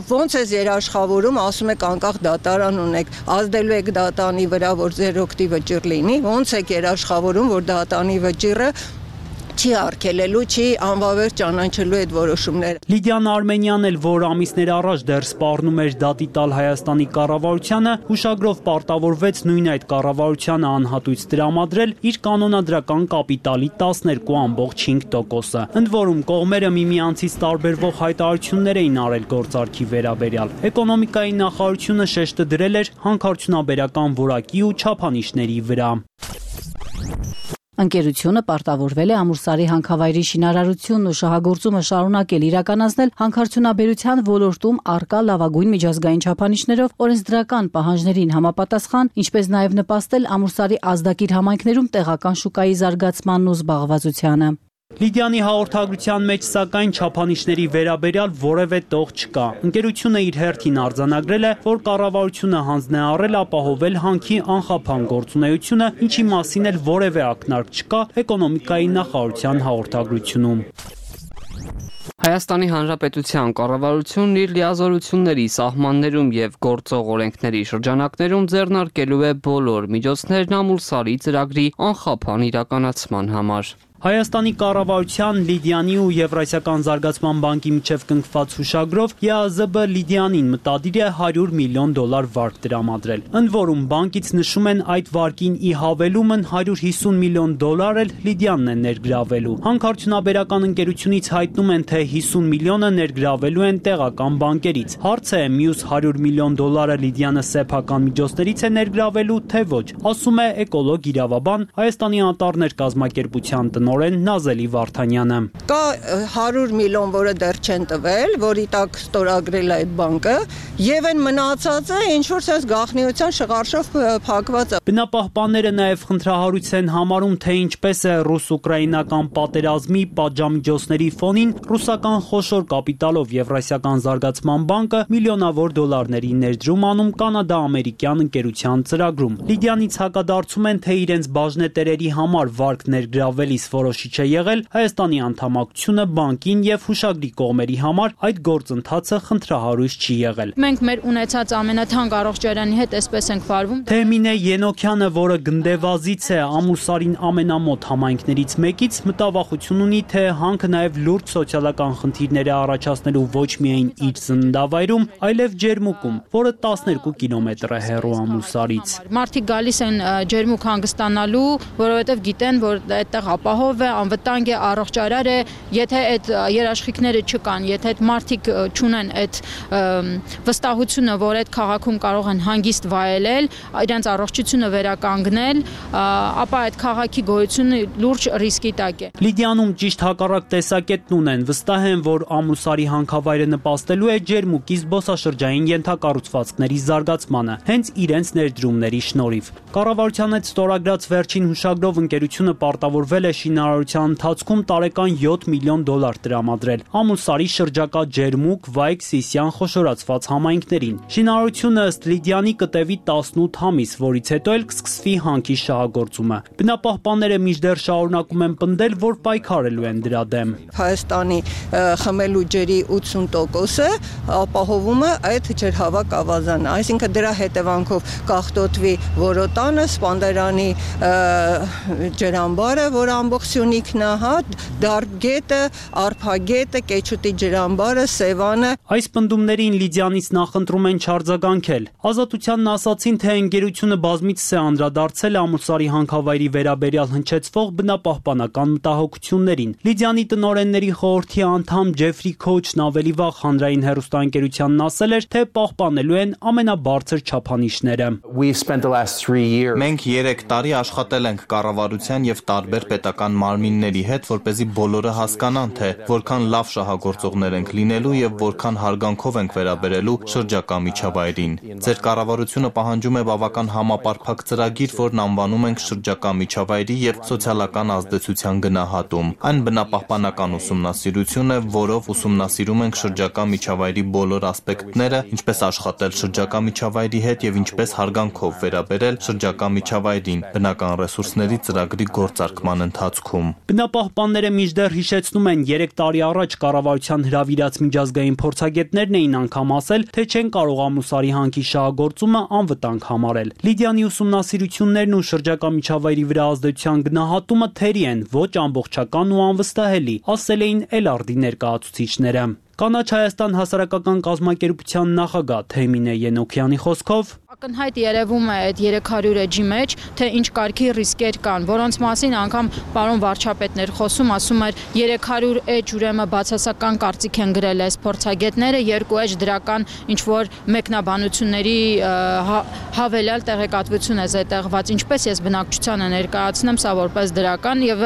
Ոնց ես երաշխավորում, ասում եք անկախ դատարան ունեք, ազդելու եք դատանի վրա, որ ձեր օգտի վճիռ լինի, ոնց եք երաշխավորում, որ դատանի վճիռը չի արգելելու, չի անվավեր ճանաչելու այդ որոշումները։ Լիդիան Արմենյանն էլ, որ ամիսներ առաջ դեռ սպառնում էր դատի տալ Հայաստանի կառավարությանը, հուշագրով պարտավորվեց նույն այդ կառավարությանը անհատույց տրամադրել իր կանոնադրական կապիտալի 12.5%-ը։ Ընդ որում կողմերը միմյանցից տարբերվող հայտարարություններ էին արել գործարքի վերաբերյալ։ Էկոնոմիկայի նախարարությունը շեշտը դրել էր հանքարդյունաբերական որակի ու չափանիշների վրա։ Ընկերությունը պարտավորվել է Ամուրսարի հանքավայրի շինարարությունն ու շահագործումը շարունակել իրականացնել հանքարդյունաբերության ոլորտում առկա լավագույն միջազգային չափանիշներով օրենսդրական պահանջներին համապատասխան, ինչպես նաև նպաստել Ամուրսարի ազդակիր համայնքներում տեղական շուկայի զարգացմանն ու զբաղվածությանը։ Լիդիանի հաղորդագրության մեջ սակայն չափանիշների վերաբերյալ որևէ տող չկա։ Ընկերությունը իր հերթին արձանագրել է, որ կառավարությունը հանձն է առել ապահովել հանքի անխափան գործունեությունը, ինչի մասին էլ որևէ ակնարկ չկա էկոնոմիկայի նախարարության հաղորդագրությունում։ Հայաստանի Հանրապետության կառավարությունն իր լիազորությունների սահմաններում եւ գործող օրենքների շրջանակներում ձեռնարկելու է բոլոր միջոցներն Ամուրսարի ծրագրի անխափան իրականացման համար։ Հայաստանի կառավարության, Լիդիանի ու Եվրասիական զարգացման բանկի միջև կնքված հուշագրով ԵԱԶԲ Լիդիանին մտադիր է $100 միլիոն վարկ տրամադրել։ Ընդ որում բանկից նշում են այդ վարկին ի հավելումն $150 միլիոն էլ Լիդիանն է ներգրավելու։ Հանքարդյունաբերական ընկերությունից հայտնում են, թե 50 միլիոնը ներգրավելու են տեղական բանկերից։ Հարցը է մյուս $100 միլիոն Լիդիանը սեփական միջոցներից է ներգրավելու, թե ոչ, ասում է էկոլոգ իրավաբան Հայաստանի անտառներ կազմակերպության տնօրեն Նազելի Վարդանյանը։ Կա 100 միլիոն, որը դեռ չեն տվել, որի տակ ստորագրել է այդ բանկը, եւ այն մնացածը ինչ որ sense գաղտնիության շղարշով փակված է։ Բնապահպանները նաև խնդրահարույց են համարում, թե ինչպես է ռուս-ուկրաինական պատերազմի պատժամիջոցների ֆոնին ռուսական խոշոր կապիտալով Եվրասիական զարգացման բանկը միլիոնավոր դոլարների ներդրում անում կանադա-ամերիկյան ընկերության ծրագրում։ Լիդիանից հակադարձում են, թե իրենց բաժնետերերի համար վարկ ներգրավելիս որոշիչ է եղել Հայաստանի անդամակցությունը բանկին եւ հուշագրի կողմերի համար այդ գործընթացը խնդրահարույց չի եղել։ Մենք մեր ունեցած ամենաթանկ առողջարանի հետ այսպես ենք վարվում։ Թեմինե Ենոքյանը, որը գնդեվազից է Ամուրսարին ամենամոտ համայնքներից մեկից, մտավախություն ունի, թե հանքը նաև լուրջ սոցիալական խնդիրներ է առաջացնելու ոչ միայն իր ծննդավայրում, այլև Ջերմուկում, որը 12 կիլոմետր է հեռու Ամուրսարից։ Մարդիկ գալիս են Ջերմուկ հանգստանալու, որովհետև գիտեն, որ այդտեղ ապահով է, անվտանգ է, առողջարար է, եթե այդ երաշխիքները չկան, եթե այդ մարդիկ չունեն այդ վստահությունը, որ այդ քաղաքում կարող են հանգիստ վայելել, իրենց առողջությունը վերականգնել, ապա այդ քաղաքի գոյությունը լուրջ ռիսկի տակ է։ Լիդիանում ճիշտ հակառակ տեսակետն ունեն, վստահ են, որ Ամուրսարի հանքավայրը նպաստելու է Ջերմուկի զբոսաշրջային ենթակառուցվածքների զարգացմանը, հենց իրենց ներդրումների շնորհիվ։ Կառավարության հետ ստորագրած վերջին հուշագրով ընկերությունը պարտավորվել է շինարարության ընթացքում տարեկան $7 միլիոն տրամադրել Ամուրսարի շրջակա Ջերմուկ, Վայք, Սիսիան խոշորացված համայնքներին։ Շինարարությունը ըստ Լիդիանի կտևի 18 ամիս, որից հետո էլ կսկսվի հանքի շահագործումը։ Բնապահպանները մինչդեռ շարունակում են պնդել, որ պայքարելու են դրա դեմ։ Հայաստանի խմելու ջրի 80%-ը ապահովում է այդ ջրհավաք ավազանը, այսինքն դրա հետևանքով կախտոտվի Որոտանը, Սպանդերանի ջրամբարը, որ ամբողջ Սյունիքն է, Դարբգետը, Արփագետը, Կեչուտի ջրամբարը, Սևանը։ Այս պնդումներին Լիդիանից նախընտրում են չարձագանքել։ Ազատությանն ասացին, թե ընկերությունը բազմիցս է անդրադարձել Ամուրսարի հանքավայրի վերաբերյալ հնչեցվող բնապահպանական մտահոգություններին։ Լիդիանի տնօրենների խորհրդի անդամ Ջեֆրի Քոչն ավելի վաղ հանրային հեռուստաընկերությանն ասել էր, թե պահպանելու են ամենաբարձր չափանիշները։ Մենք 3 տարի աշխատել ենք կառավարության եւ տարբեր պետական քաղաքական մարմինների հետ, որպեսզի բոլորը հասկանան, թե որքան լավ շահագործողներ ենք լինելու եւ որքան հարգանքով ենք վերաբերելու շրջակա միջավայրին։ Ձեր կառավարությունը պահանջում է բավական համապարփակ ծրագիր, որն անվանում ենք շրջակա միջավայրի եւ սոցիալական ազդեցության գնահատում։ Այն բնապահպանական ուսումնասիրություն է, որով ուսումնասիրում ենք շրջակա միջավայրի բոլոր ասպեկտները, ինչպես աշխատել շրջակա միջավայրի հետ եւ ինչպես հարգանքով վերաբերել շրջակա միջավայրին բնական ռեսուրսների ծրագրի գործարկման ընթացքում։ Բնապահպանները մինչդեռ հիշեցնում են 3 տարի առաջ կառավարության հրավիրած միջազգային փորձագետներն էին անգամ ասել, թե չեն կարող ամուսարի հանքի շահագործումը անվտանգ համարել։ Լիդիանի ուսումնասիրություններն ու շրջակա միջավայրի վրա ազդեցության գնահատումը թերի են, ոչ ամբողջական ու անվստահելի, ասել էին Էլարդի ներկայացուցիչները։ Կանաչ Հայաստան հասարակական կազմակերպության նախագահ Թեմինե Ենոքյանի խոսքով ակնհայտ երևում է այդ 300 էջի մեջ, թե ինչ կարգի ռիսկեր կան, որոնց մասին անգամ պարոն վարչապետն էր խոսում, ասում էր 300 էջ ուրեմն բացասական կարծիք են գրել այս փորձագետները, 2 էջ դրական ինչ որ մեկնաբանությունների հավելյալ տեղեկատվություն է զետեղված, ինչպես ես բնակչությանը ներկայացնեմ սա որպես դրական եւ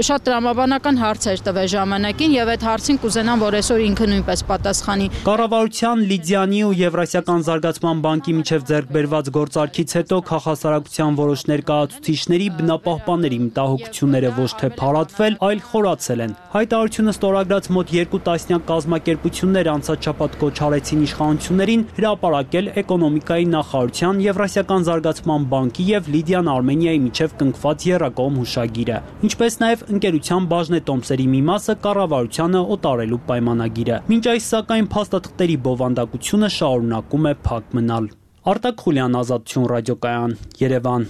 շատ տրամաբանական հարց էր տվել ժամանակին եւ այդ հարցին կուզենամ, որ այսօր ինքը նույնպես պատասխանի։ Կառավարության Լիդիանի ու Եվրասիական զարգացման բանկի միջև ձեռք բերված գործարքից հետո քաղաքասարակության որոշ ներկայացուցիչների բնապահպանների մտահոգությունները ոչ թե փարատվել, այլ խորացել են։ Հայտարարությունը ստորագրած մոտ 2 տասնյակ կազմակերպություններ անցած շաբաթ կոչ արեցին իշխանություններին հրապարակել էկոնոմիկայի նախարարության, Եվրասիական զարգացման բանկի եւ Լիդիան Արմենիայի միջև կնքված եռակողմ հուշագիրը, ինչպես նաեւ ընկերության բաժնետոմսերի մի մասը կառավարությանը օտարելու պայմանագիրը։ Մինչ այս սակայն փաստաթղթերի բովանդակությունը շարունակում է փակ մնալ։ Արտակ Խուլյան, Ազատություն ռադիոկայան, Երևան։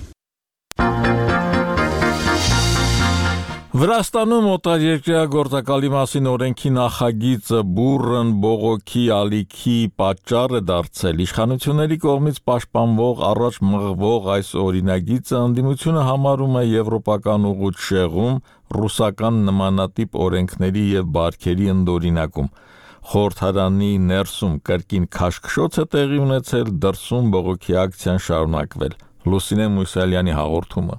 Վրաստանում օտարերկրյա գործակալի մասին օրենքի նախագիծը բուռն բողոքի ալիքի պատճառ է դարձել։ Իշխանությունների կողմից պաշտպանվող առաջ մղվող այս օրինագիծը ընդդիմությունը համարում է եվրոպական ուղղույց շեղում, ռուսական նմանատիպ օրենքների եւ բարքերի ընդօրինակում։ Խորհրդարանի ներսում կրկին քաշքշոց է տեղի ունեցել, դրսում բողոքի ակցիան շարունակվել։ Լուսինե Մուսալյանի հաղորդումը։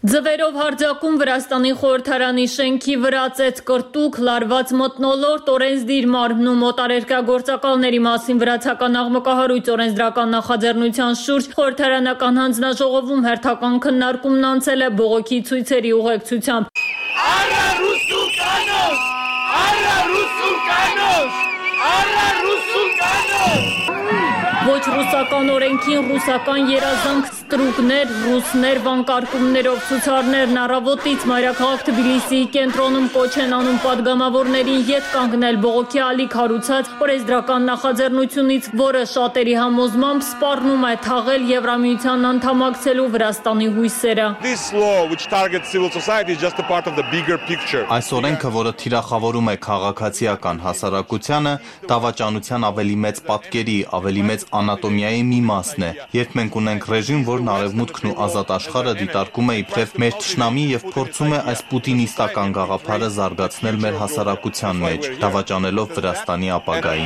Ձվերով հարձակում Վրաստանի խորհրդարանի շենքի վրա ծեծ կրտուկ, լարված մթնոլորտ, օրենսդիր մարմնում օտարերկրյա գործակալների մասին վրացական աղմկահարույց օրենսդրական նախաձեռնության շուրջ խորհրդարանական հանձնաժողովում հերթական քննարկումն անցել է բողոքի ցույցերի ուղեկցությամբ։ Արա ռուսուկանոս! Արա ռուսուկանոս! Արա ռուսուկանոս! Ոչ ռուսական օրենքին ռուսական երազանք, ստրուկներ, ռուսներ, վանկարկումներով ցուցարներն առավոտից մայրաքաղաք Թբիլիսիի կենտրոնում կոչ են անում падգամավորներին ետ կանգնել բողոքի ալիք հարուցած օրենսդրական նախաձեռնությունից, որը շատերի համոզմամբ սպառնում է թաղել Եվրամիության անդամակցելու Վրաստանի հույսերը։ Այս օրենքը, որը թիրախավորում է քաղաքացիական հասարակությանը, դավաճանության ավելի մեծ պատկերի, ավելի մեծ անատոմիայի մի մասն է։ Երբ մենք ունենք ռեժիմ, որն արևմուտքն ու ազատ աշխարհը դիտարկում է իբրև մեր թշնամի եւ փորձում է այս պուտինիստական գաղափարը զարգացնել մեր հասարակության մեջ, դավաճանելով Վրաստանի ապագային։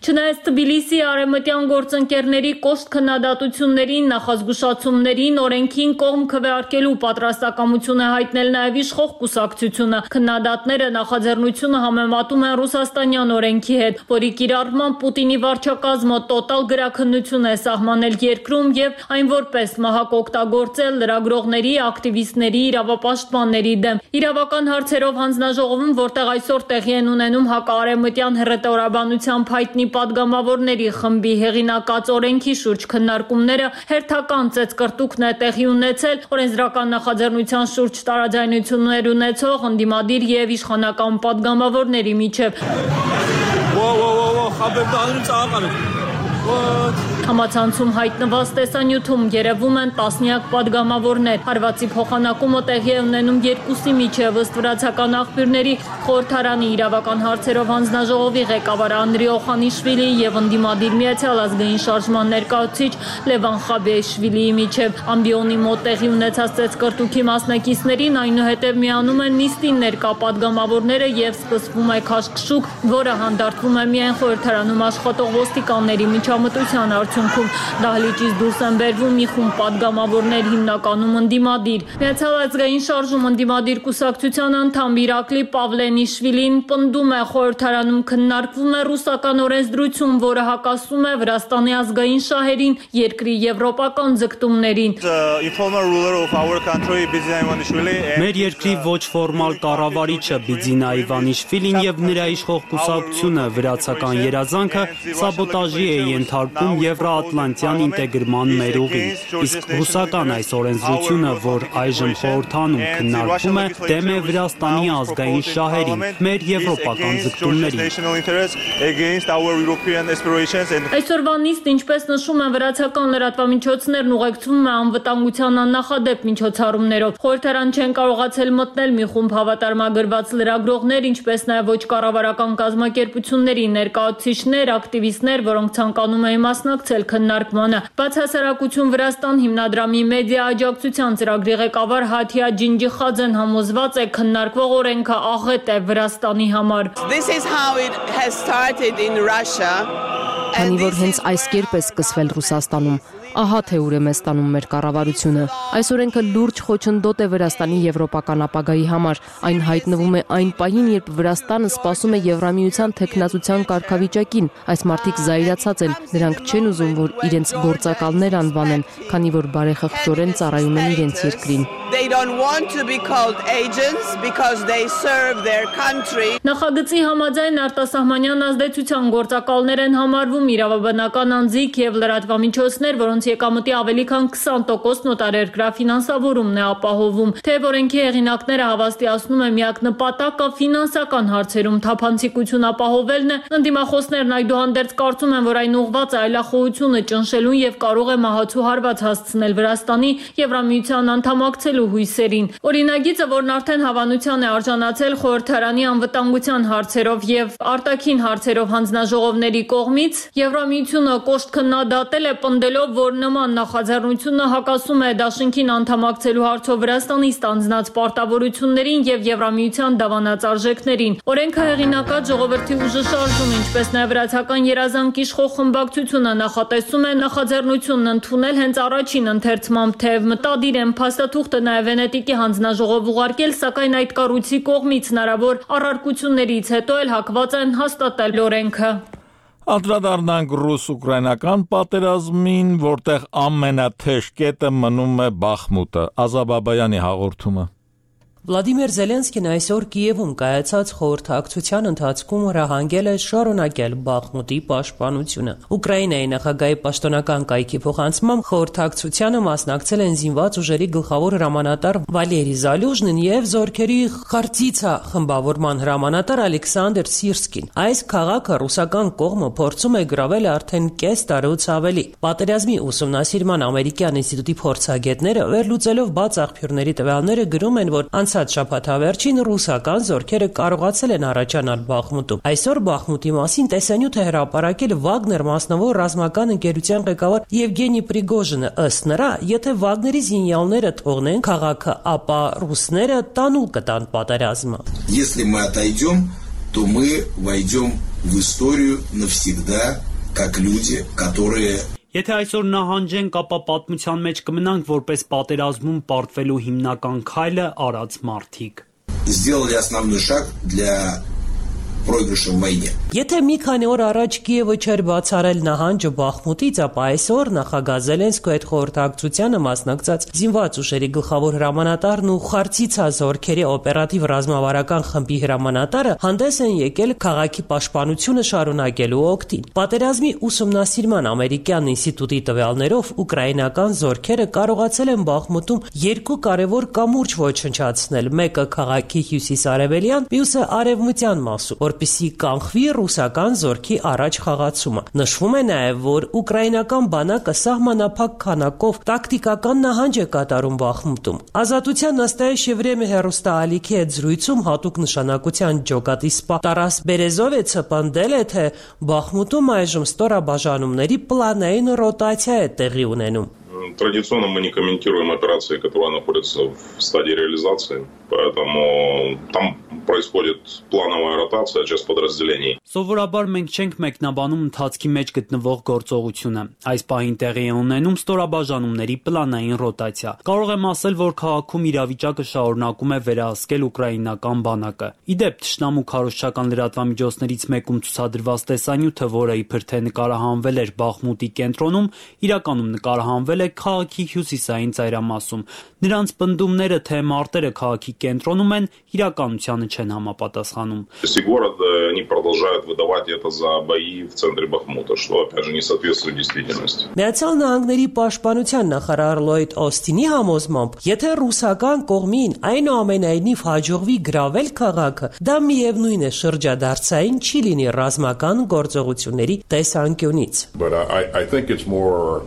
Չնայած Թբիլիսիի արևմտյան գործընկերների կոշտ քննադատություններին, նախազգուշացումներին, օրենքին կողմ քվեարկելու պատրաստակամություն է հայտնել նաեւ իշխող կուսակցությունը։ Քննադատները նախաձեռնությունը համեմատում են ռուսաստանյան օրենքի հետ, որի կիրառմամբ Պուտինի վարչակազմը տոտալ գրաքննություն է սահմանել երկրում եւ այն որպես մահակ օգտագործել լրագրողների, ակտիվիստների, իրավապաշտպանների դեմ։ Իրավական հարցերով հանձնաժողովում, որտեղ այսօր տեղի են ունենում հակաարևմտյան հռետորաբանության հայտնի падգամավորների խմբի հեղինակած օրենքի շուրջ քննարկումները հերթական ծեծկրտուկն է տեղի ունեցել օրենսդրական նախաձեռնության շուրջ տարաձայնություններ ունեցող ընդդիմադիր եւ իշխանական падգամավորների միջև։ Համացանցում հայտնված տեսանյութում երևում են տասնյակ падգամավորներ։ Հարվածի փոխանակումը տեղի է ունենում երկուսի միջև, ըստ վրացական աղբյուրների, խորհրդարանի իրավական հարցերով հանձնաժողովի ղեկավար Անդրի Օխանիշվիլի եւ ընդդիմադիր Միացյալ ազգային շարժման ներկայացուցիչ Լևան Խաբեշվիլիի միջև։ Ամբիոնի մոտ տեղի ունեցած ծեծկրտուքի մասնակիցներին այնուհետև միանում են նիստին ներկա падգամավորները եւ սկսվում է քաշքշուկ, որը հանդարտվում է միայն խորհրդարանում աշխատող ոստիկանների միջամտության արդյունքում դահլիճից դուրս են բերվում մի խումբ պատգամավորներ, հիմնականում ընդդիմադիր։ Միացյալ ազգային շարժում ընդդիմադիր կուսակցության անդամ Իրակլի Պավլենիշվիլին պնդում է, խորհրդարանում քննարկվում է ռուսական օրենսդրություն, որը հակասում է Վրաստանի ազգային շահերին, երկրի եվրոպական ձգտումներին։ Մեր երկրի ոչ ֆորմալ կառավարիչը Բիձինա Իվանիշվիլին եւ նրա իշխող կուսակցությունը վրացական երազանքը սաբոտաժի է ենթարկում Եվրոատլանտյան ինտեգրման մեր ուղին։ Իսկ ռուսական այս օրենսդրությունը, որ այժմ խորհրդանում քննարկվում է, դեմ է Վրաստանի ազգային շահերին, մեր եվրոպական ձգտումներին։ Այսօրվա նիստ, ինչպես նշում են վրացական լրատվամիջոցներն, ուղեկցվում է անվտանգության աննախադեպ միջոցառումներով։ Խորհրդարան չեն կարողացել մտնել մի խումբ հավատարմագրված լրագրողներ, ինչպես նաև ոչ կառավարական կազմակերպությունների ներկայացուցիչներ, ակտիվիստներ, որոնք ցանկանում էին մասնակցել քննարկմանը։ Բացահասարակություն Վրաստան հիմնադրամի մեդիա աջակցության ծրագրի ղեկավար Հաթիա Ջինջիխաձեն համոզված է, քննարկվող օրենքը աղետ է Վրաստանի համար։ Քանի որ հենց այս կերպ է սկսվել Ռուսաստանում, ահա թե ուր է մեզ տանում մեր կառավարությունը։ Այս օրենքը լուրջ խոչընդոտ է Վրաստանի եվրոպական ապագայի համար։ Այն հայտնվում է այն պահին, երբ Վրաստանը սպասում է Եվրամիության թեկնածության կարգավիճակին։ Այս մարդիկ զայրացած են, նրանք չեն ուզում, որ իրենց գործակալներ անվանեն, քանի որ բարեխղճորեն ծառայում են իրենց երկրին։ Նախագծի համաձայն արտասահմանյան ազդեցության գործակալներ են համարվում իրավաբանական անձիկ եւ լրատվամիջոցներ, որոնց եկամտի ավելի քան 20% նոտարերկրյա ֆինանսավորումն է ապահովում։ Թեև օրենքի հեղինակները հավաստիացնում են միակ նպատակը ֆինանսական հարցերում թափանցիկություն ապահովելն է, ընդդիմախոսներն այդուհանդերձ կարծում են, որ այն ուղղված է այլախոհությունը ճնշելուն եւ կարող է մահացու հարված հասցնել Վրաստանի Եվրամիության անդամակցելու հույսերին։ Օրինագիծը, որն արդեն հավանության է արժանացել խորհրդարանի անվտանգության հարցերով եւ արտաքին հարցերով հանձնաժողովների կողմից, Եվրամիությունը կոշտ քննադատել է, պնդելով, որ նման նախաձեռնությունը հակասում է դաշինքին անդամակցելու հարցով Վրաստանի ստանձնած պարտավորություններին եւ Եվրամիության դավանած արժեքներին։ Օրենքը հեղինակած ժողովրդի ուժը շարժում, ինչպես նաեւ վրացական երազանք իշխող խմբակցությունը նախատեսում է նախաձեռնությունն ընդունել հենց առաջին ընթերցմամբ, թեև մտադիր են փաստաթուղթը նաեւ Վենետիկի հանձնաժողով ուղարկել, սակայն այդ կառույցի կողմից հնարավոր առարկություններից հետո էլ հակված են հաստատել օրենքը։ Անդրադառնանք ռուս-ուկրաինական պատերազմին, որտեղ ամենաթեժ կետը մնում է Բախմուտը։ Ազա Բաբայանի հաղորդումը։ Վլադիմիր Զելենսկին այսօր Կիևում կայացած խորհրդակցության ընթացքում հրահանգել է շարունակել Բախմուտի պաշտպանությունը։ Ուկրաինայի նախագահի պաշտոնական կայքի փոխանցմամբ խորհրդակցությանը մասնակցել են զինված ուժերի գլխավոր հրամանատար Վալերի Զալյուժնին եւ զորքերի Խարտիցա խմբավորման հրամանատար Ալեքսանդր Սիրսկին։ Այս քաղաքը ռուսական կողմը փորձում է գրավել արդեն կես տարուց ավելի։ Պատերազմի ուսումնասիրման ամերիկյան ինստիտուտի փորձագետները վերլուծելով բաց աղբյուրների տվյալները գրում են, որ անցած շաբաթավերջին ռուսական զորքերը կարողացել են առաջանալ Բախմուտում։ Այսօր Բախմուտի մասին տեսանյութ է հրապարակել Վագներ մասնավոր ռազմական ընկերության ղեկավար Եվգենի Պրիգոժինը։ Ըստ նրա, եթե Վագների զինյալները թողնեն քաղաքը, ապա ռուսները տանուլ կտան պատերազմը։ Если мы отойдем, то мы войдем в историю навсегда, как люди, которые Եթե այսօր նահանջենք, ապա պատմության մեջ կմնանք որպես պատերազմում պարտվելու հիմնական քայլը արած մարդիկ։ Сделали основной шаг для проигрыша в войне. Եթե մի քանի օր առաջ Կիևը չէր բացառել նահանջը Բախմուտից, ապա այսօր նախագահ Զելենսկու այդ խորհրդակցությանը մասնակցած զինված ուժերի գլխավոր հրամանատարն ու Խարտիցա զորքերի օպերատիվ ռազմավարական խմբի հրամանատարը հանդես են եկել քաղաքի պաշտպանությունը շարունակելու օգտին։ Պատերազմի ուսումնասիրման ամերիկյան ինստիտուտի տվյալներով ուկրաինական զորքերը կարողացել են Բախմուտում երկու կարևոր կամուրջ ոչնչացնել՝ մեկը քաղաքի հյուսիս-արևելյան, մյուսը արևմտյան մասում, որպեսզի կանխվի ռուսական զորքի առաջ խաղացումը։ Նշվում է նաև, որ ուկրաինական բանակը սահմանափակ քանակով տակտիկական նահանջ է կատարում Բախմուտում։ Ազատության նստայիշ Եվրեմի հեռուստաալիքի հետ զրույցում հատուկ նշանակության ջոկատիսպա Տարաս Բերեզովիցը պնդել է, թե Բախմուտում այժմ ստորաբաժանումների պլանային ռոտացիա է տեղի ունենում։ Традиционно мы не комментируем операции, которые находятся в стадии реализации, поэтому там происходит плановая ротация часть подразделений. Սովորաբար մենք չենք մեկնաբանում ընթացքի մեջ գտնվող գործողությունը։ Այս պահին տեղի է ունենում ստորաբաժանումների պլանային ռոտացիա։ Կարող եմ ասել, որ քաղաքում իրավիճակը շարունակում է վերահսկել ուկրաինական բանակը։ Իդեպ թշնամու քարոզչական լրատվամիջոցներից մեկում ցուցադրված տեսանյութը, որը իբր թե նկարահանվել էր Բախմուտի կենտրոնում, իրականում նկարահանվել է քաղաքի հյուսիսային ծայրամասում։ Նրանց պնդումները, թե մարտերը քաղաքի կենտրոնում են, իրականությանը չեն համապատասխանում։ Они продолжают выдавать это за бои в центре Бахмута, что опять же не соответствует действительности. Միացյալ Նահանգների պաշտպանության նախարար Լոյդ Օստինի համոզմամբ, եթե ռուսական կողմին այնուամենայնիվ հաջողվի գրավել քաղաքը, դա միևնույն է շրջադարձային չի լինի ռազմական գործողությունների տեսանկյունից։ But I think it's more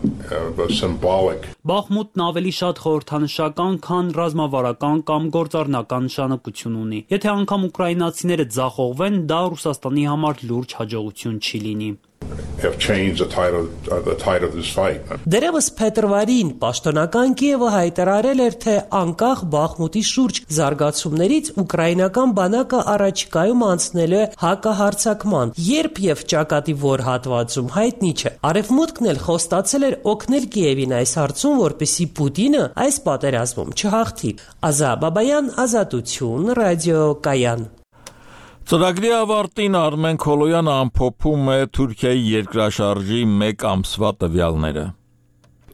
symbolic. Բախմուտն ավելի շատ խորհրդանշական, քան ռազմավարական կամ գործառնական նշանակություն ունի։ Եթե անգամ ուկրաինացիները ձախողվեն, դա Ռուսաստանի համար լուրջ հաջողություն չի լինի։ Have changed the tide of this fight. Դերևս փետրվարին պաշտոնական Կիևը հայտարարել էր, թե անկախ Բախմուտի շուրջ զարգացումներից ուկրաինական բանակը առաջիկայում անցնելու է հակահարձակման, երբ եւ ճակատի որ հատվածում հայտնի չէ։ Արևմուտքն էլ խոստացել էր օգնել Կիևին այս հարցում, որպեսզի Պուտինը այս պատերազմում չհաղթի։ Ազա Բաբայան, Ազատություն, ռադիոկայան։ Ծրագրի ավարտին Արմեն Քոլոյանը ամփոփում է Թուրքիայի երկրաշարժի 1 ամսվա տվյալները։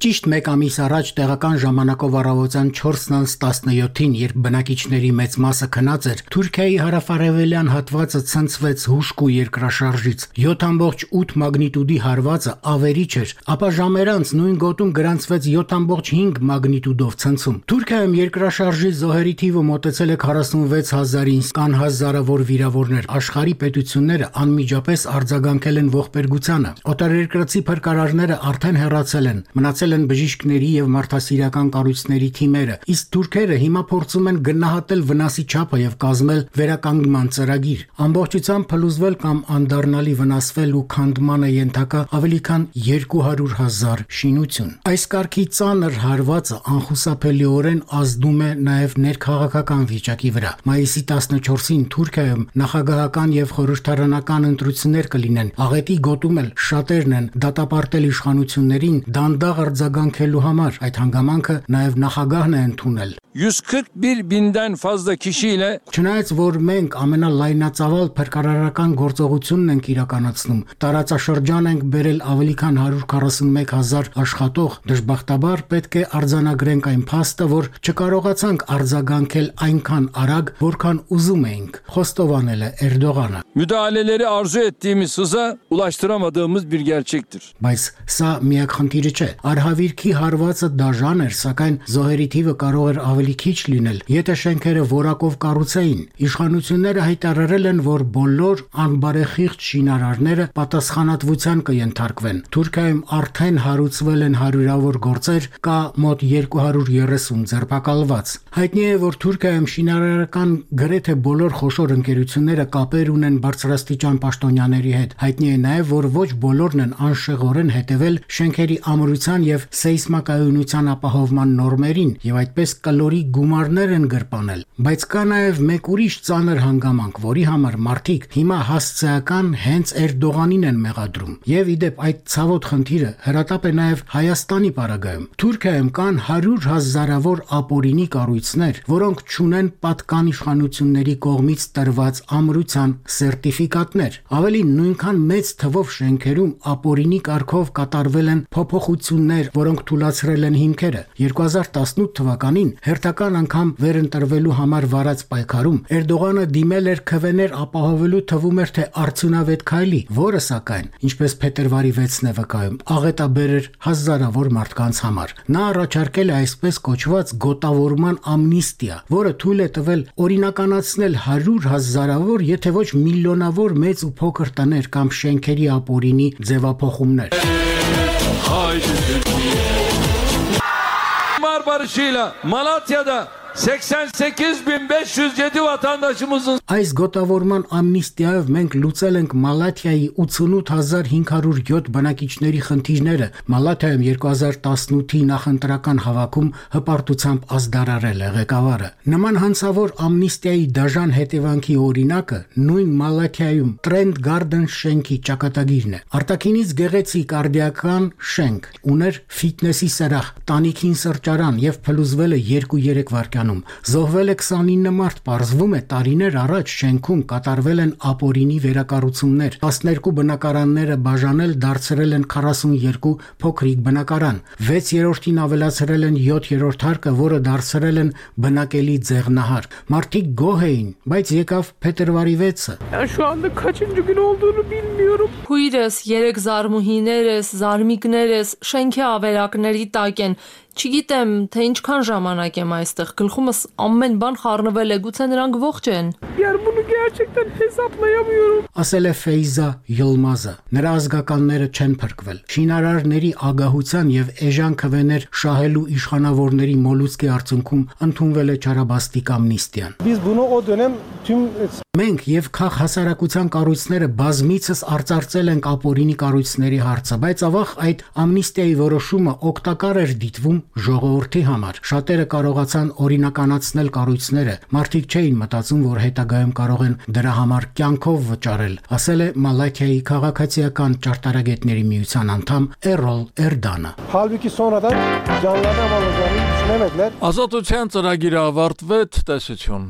Ճիշտ 1 ամիս առաջ տեղական ժամանակով առավոտյան 4:17-ին, երբ բնակիչների մեծ մասը քնած էր, Թուրքիայի հարավարևելյան հատվածը ցնցվեց հուժկու երկրաշարժից։ 7.8 մագնիտուդի հարվածը ավերիչ էր, ապա ժամեր անց նույն գոտում գրանցվեց 7.5 մագնիտուդով ցնցում։ Թուրքիայում երկրաշարժի զոհերի թիվը մոտեցել է 46,000-ին, կան հազարավոր վիրավորներ։ Աշխարհի պետությունները անմիջապես արձագանքել են ողբերգությանը։ Օտարերկրացի փրկարարները արդեն հեռացել են, մնացել են բժիշկների եւ մարդասիրական կառույցների թիմերը, իսկ թուրքերը հիմա փորձում են գնահատել վնասի չափը եւ կազմել վերականգնման ծրագիր։ Ամբողջությամբ փլուզվել կամ անդառնալի վնասվել ու քանդման է ենթակա ավելի քան 200,000 շինություն։ Այս կարգի ծանր հարվածը անխուսափելիորեն ազդում է նաեւ ներքաղաքական վիճակի վրա։ Մայիսի 14-ին Թուրքիայում նախագահական եւ խորհրդարանական ընտրություններ կլինեն։ Աղետի գոտում էլ շատերն են դատապարտել իշխանություններին դանդաղ արձագանքելու համար, այդ հանգամանքը նաև նախագահն է ընդունել։ 141 binden fazla kişiyle Չնայած որ մենք ամենալայնածավալ փրկարարական գործողությունն ենք իրականացնում, տարածաշրջան ենք բերել ավելի քան 141,000 աշխատող, դժբախտաբար պետք է արձանագրենք այն փաստը, որ չկարողացանք արձագանքել այնքան արագ, որքան ուզում էինք, խոստովանել է Էրդողանը։ müdahaleleri arzu ettiğimiz hıza ulaştıramadığımız bir gerçektir. Բայց սա միակ խնդիրը չէ։ Արհավիրքի հարվածը դաժան էր, սակայն զոհերի թիվը կարող էր ավելի քիչ լինել, եթե շենքերը որակով կառուցեին։ Իշխանությունները հայտարարել են, որ բոլոր անբարեխիղճ շինարարները պատասխանատվության կենթարկվեն։ Թուրքիայում արդեն հարուցվել են հարյուրավոր գործեր, կա մոտ 230 ձերբակալված։ Հայտնի է, որ Թուրքիայում շինարարական գրեթե բոլոր խոշոր ընկերությունները կապեր ունեն բարձրաստիճան պաշտոնյաների հետ։ Հայտնի է նաև, որ ոչ բոլորն են անշեղորեն հետևել շենքերի ամրության եւ սեյսմակայունության ապահովման նորմերին եւ այդպես կլորի գումարներ են գրպանել։ Բայց կա նաեւ մեկ ուրիշ ծանր հանգամանք, որի համար մարդիկ հիմա հասցեական հենց Էրդողանին են մեղադրում։ Եվ իդեպ այդ ցավոտ խնդիրը հրատապ է նաեւ Հայաստանի պարագայում։ Թուրքիայում կան 100,000-ավոր ապօրինի կառույցներ, որոնք չունեն պատկան իշխանությունների կողմից տրված ամրության սերտիֆիկատներ։ Ավելին, նույնքան մեծ թվով շենքերում ապօրինի կարգով կատարվել են փոփոխություններ, որոնք թույլատրել են հիմքերը։ 2018 թվականին հերթական անգամ վերընտրվելու համար վարած պայքարում Էրդողանը դիմել էր քվեներ ապահովելու թվում էր թե արդյունավետ քայլի, որը սակայն, ինչպես փետրվարի 6-ն է վկայում, աղետաբեր էր հազարավոր մարդկանց համար։ Նա առաջարկել է այսպես կոչված գոտավորման ամնիստիա, որը թույլ է տվել օրինականացնել 100,000-ավոր, եթե ոչ միլիոնավոր մեծ ու փոքր տներ կամ շենքերի ապօրինի ձևափոխումներ։ Mar barışıyla Malatya'da 88.507 vatandaşımızın Այս գոտավորման ամնիստիայով մենք լուծել ենք Մալաթիայի 88507 բնակիչների խնդիրները։ Մալաթիայում 2018-ի նախընտրական հավաքում հպարտությամբ ազդարարել է ղեկավարը։ Նման հանցավոր ամնիստիայի դաժան հետևանքի օրինակը նույն Մալաթիայում Trend Garden շենքի ճակատագիրն է։ Արտաքինից գեղեցիկ արդիական շենք, ուներ ֆիթնեսի սրահ, տանիքին սրճարան եւ փլուզվել է 2-3 վայրկյանում։ Զոհվել է 29 մարդ, պարզվում է տարիներ առաջ շենքում կատարվել են ապօրինի վերակառուցումներ, 12 բնակարանները բաժանել դարձրել են 42 փոքրիկ բնակարան, 6-րդին ավելացրել են 7-րդ հարկը, որը դարձրել են բնակելի ձեղնահար։ Մարդիկ գոհ էին, բայց եկավ փետրվարի 6-ը։ Քույրս, 3 զարմուհիներս, զարմիկներս շենքի ավերակների տակ են։ Չգիտեմ, թե ինչքան ժամանակ եմ այստեղ, գլխումս ամեն բան խառնվել է, գուցե նրանք ողջ են։ Ասել է Ֆեյզա Յոլմազը։ Նրա ազգականները չեն փրկվել։ Շինարարների ագահության եւ էժան քվեներ շահելու իշխանավորների մոլուցկի արդյունքում ընդունվել է չարաբաստիկ ամնիստիան։ Մենք եւ քաղ հասարակության կառույցները բազմիցս արծարծել ենք ապօրինի կառույցների հարցը, բայց ավաղ այդ ամնիստիայի որոշումը օգտակար էր դիտվում ժողովրդի համար։ Շատերը կարողացան օրինականացնել կառույցները, մարդիկ չէին մտածում, որ հետագայում կարող են դրա համար կյանքով վճարել, ասել է Մալաթիայի քաղաքացիական ճարտարագետների միության անդամ Էրոլ Էրդանը։ Ազատության ծրագիրը ավարտվեց, տեսություն։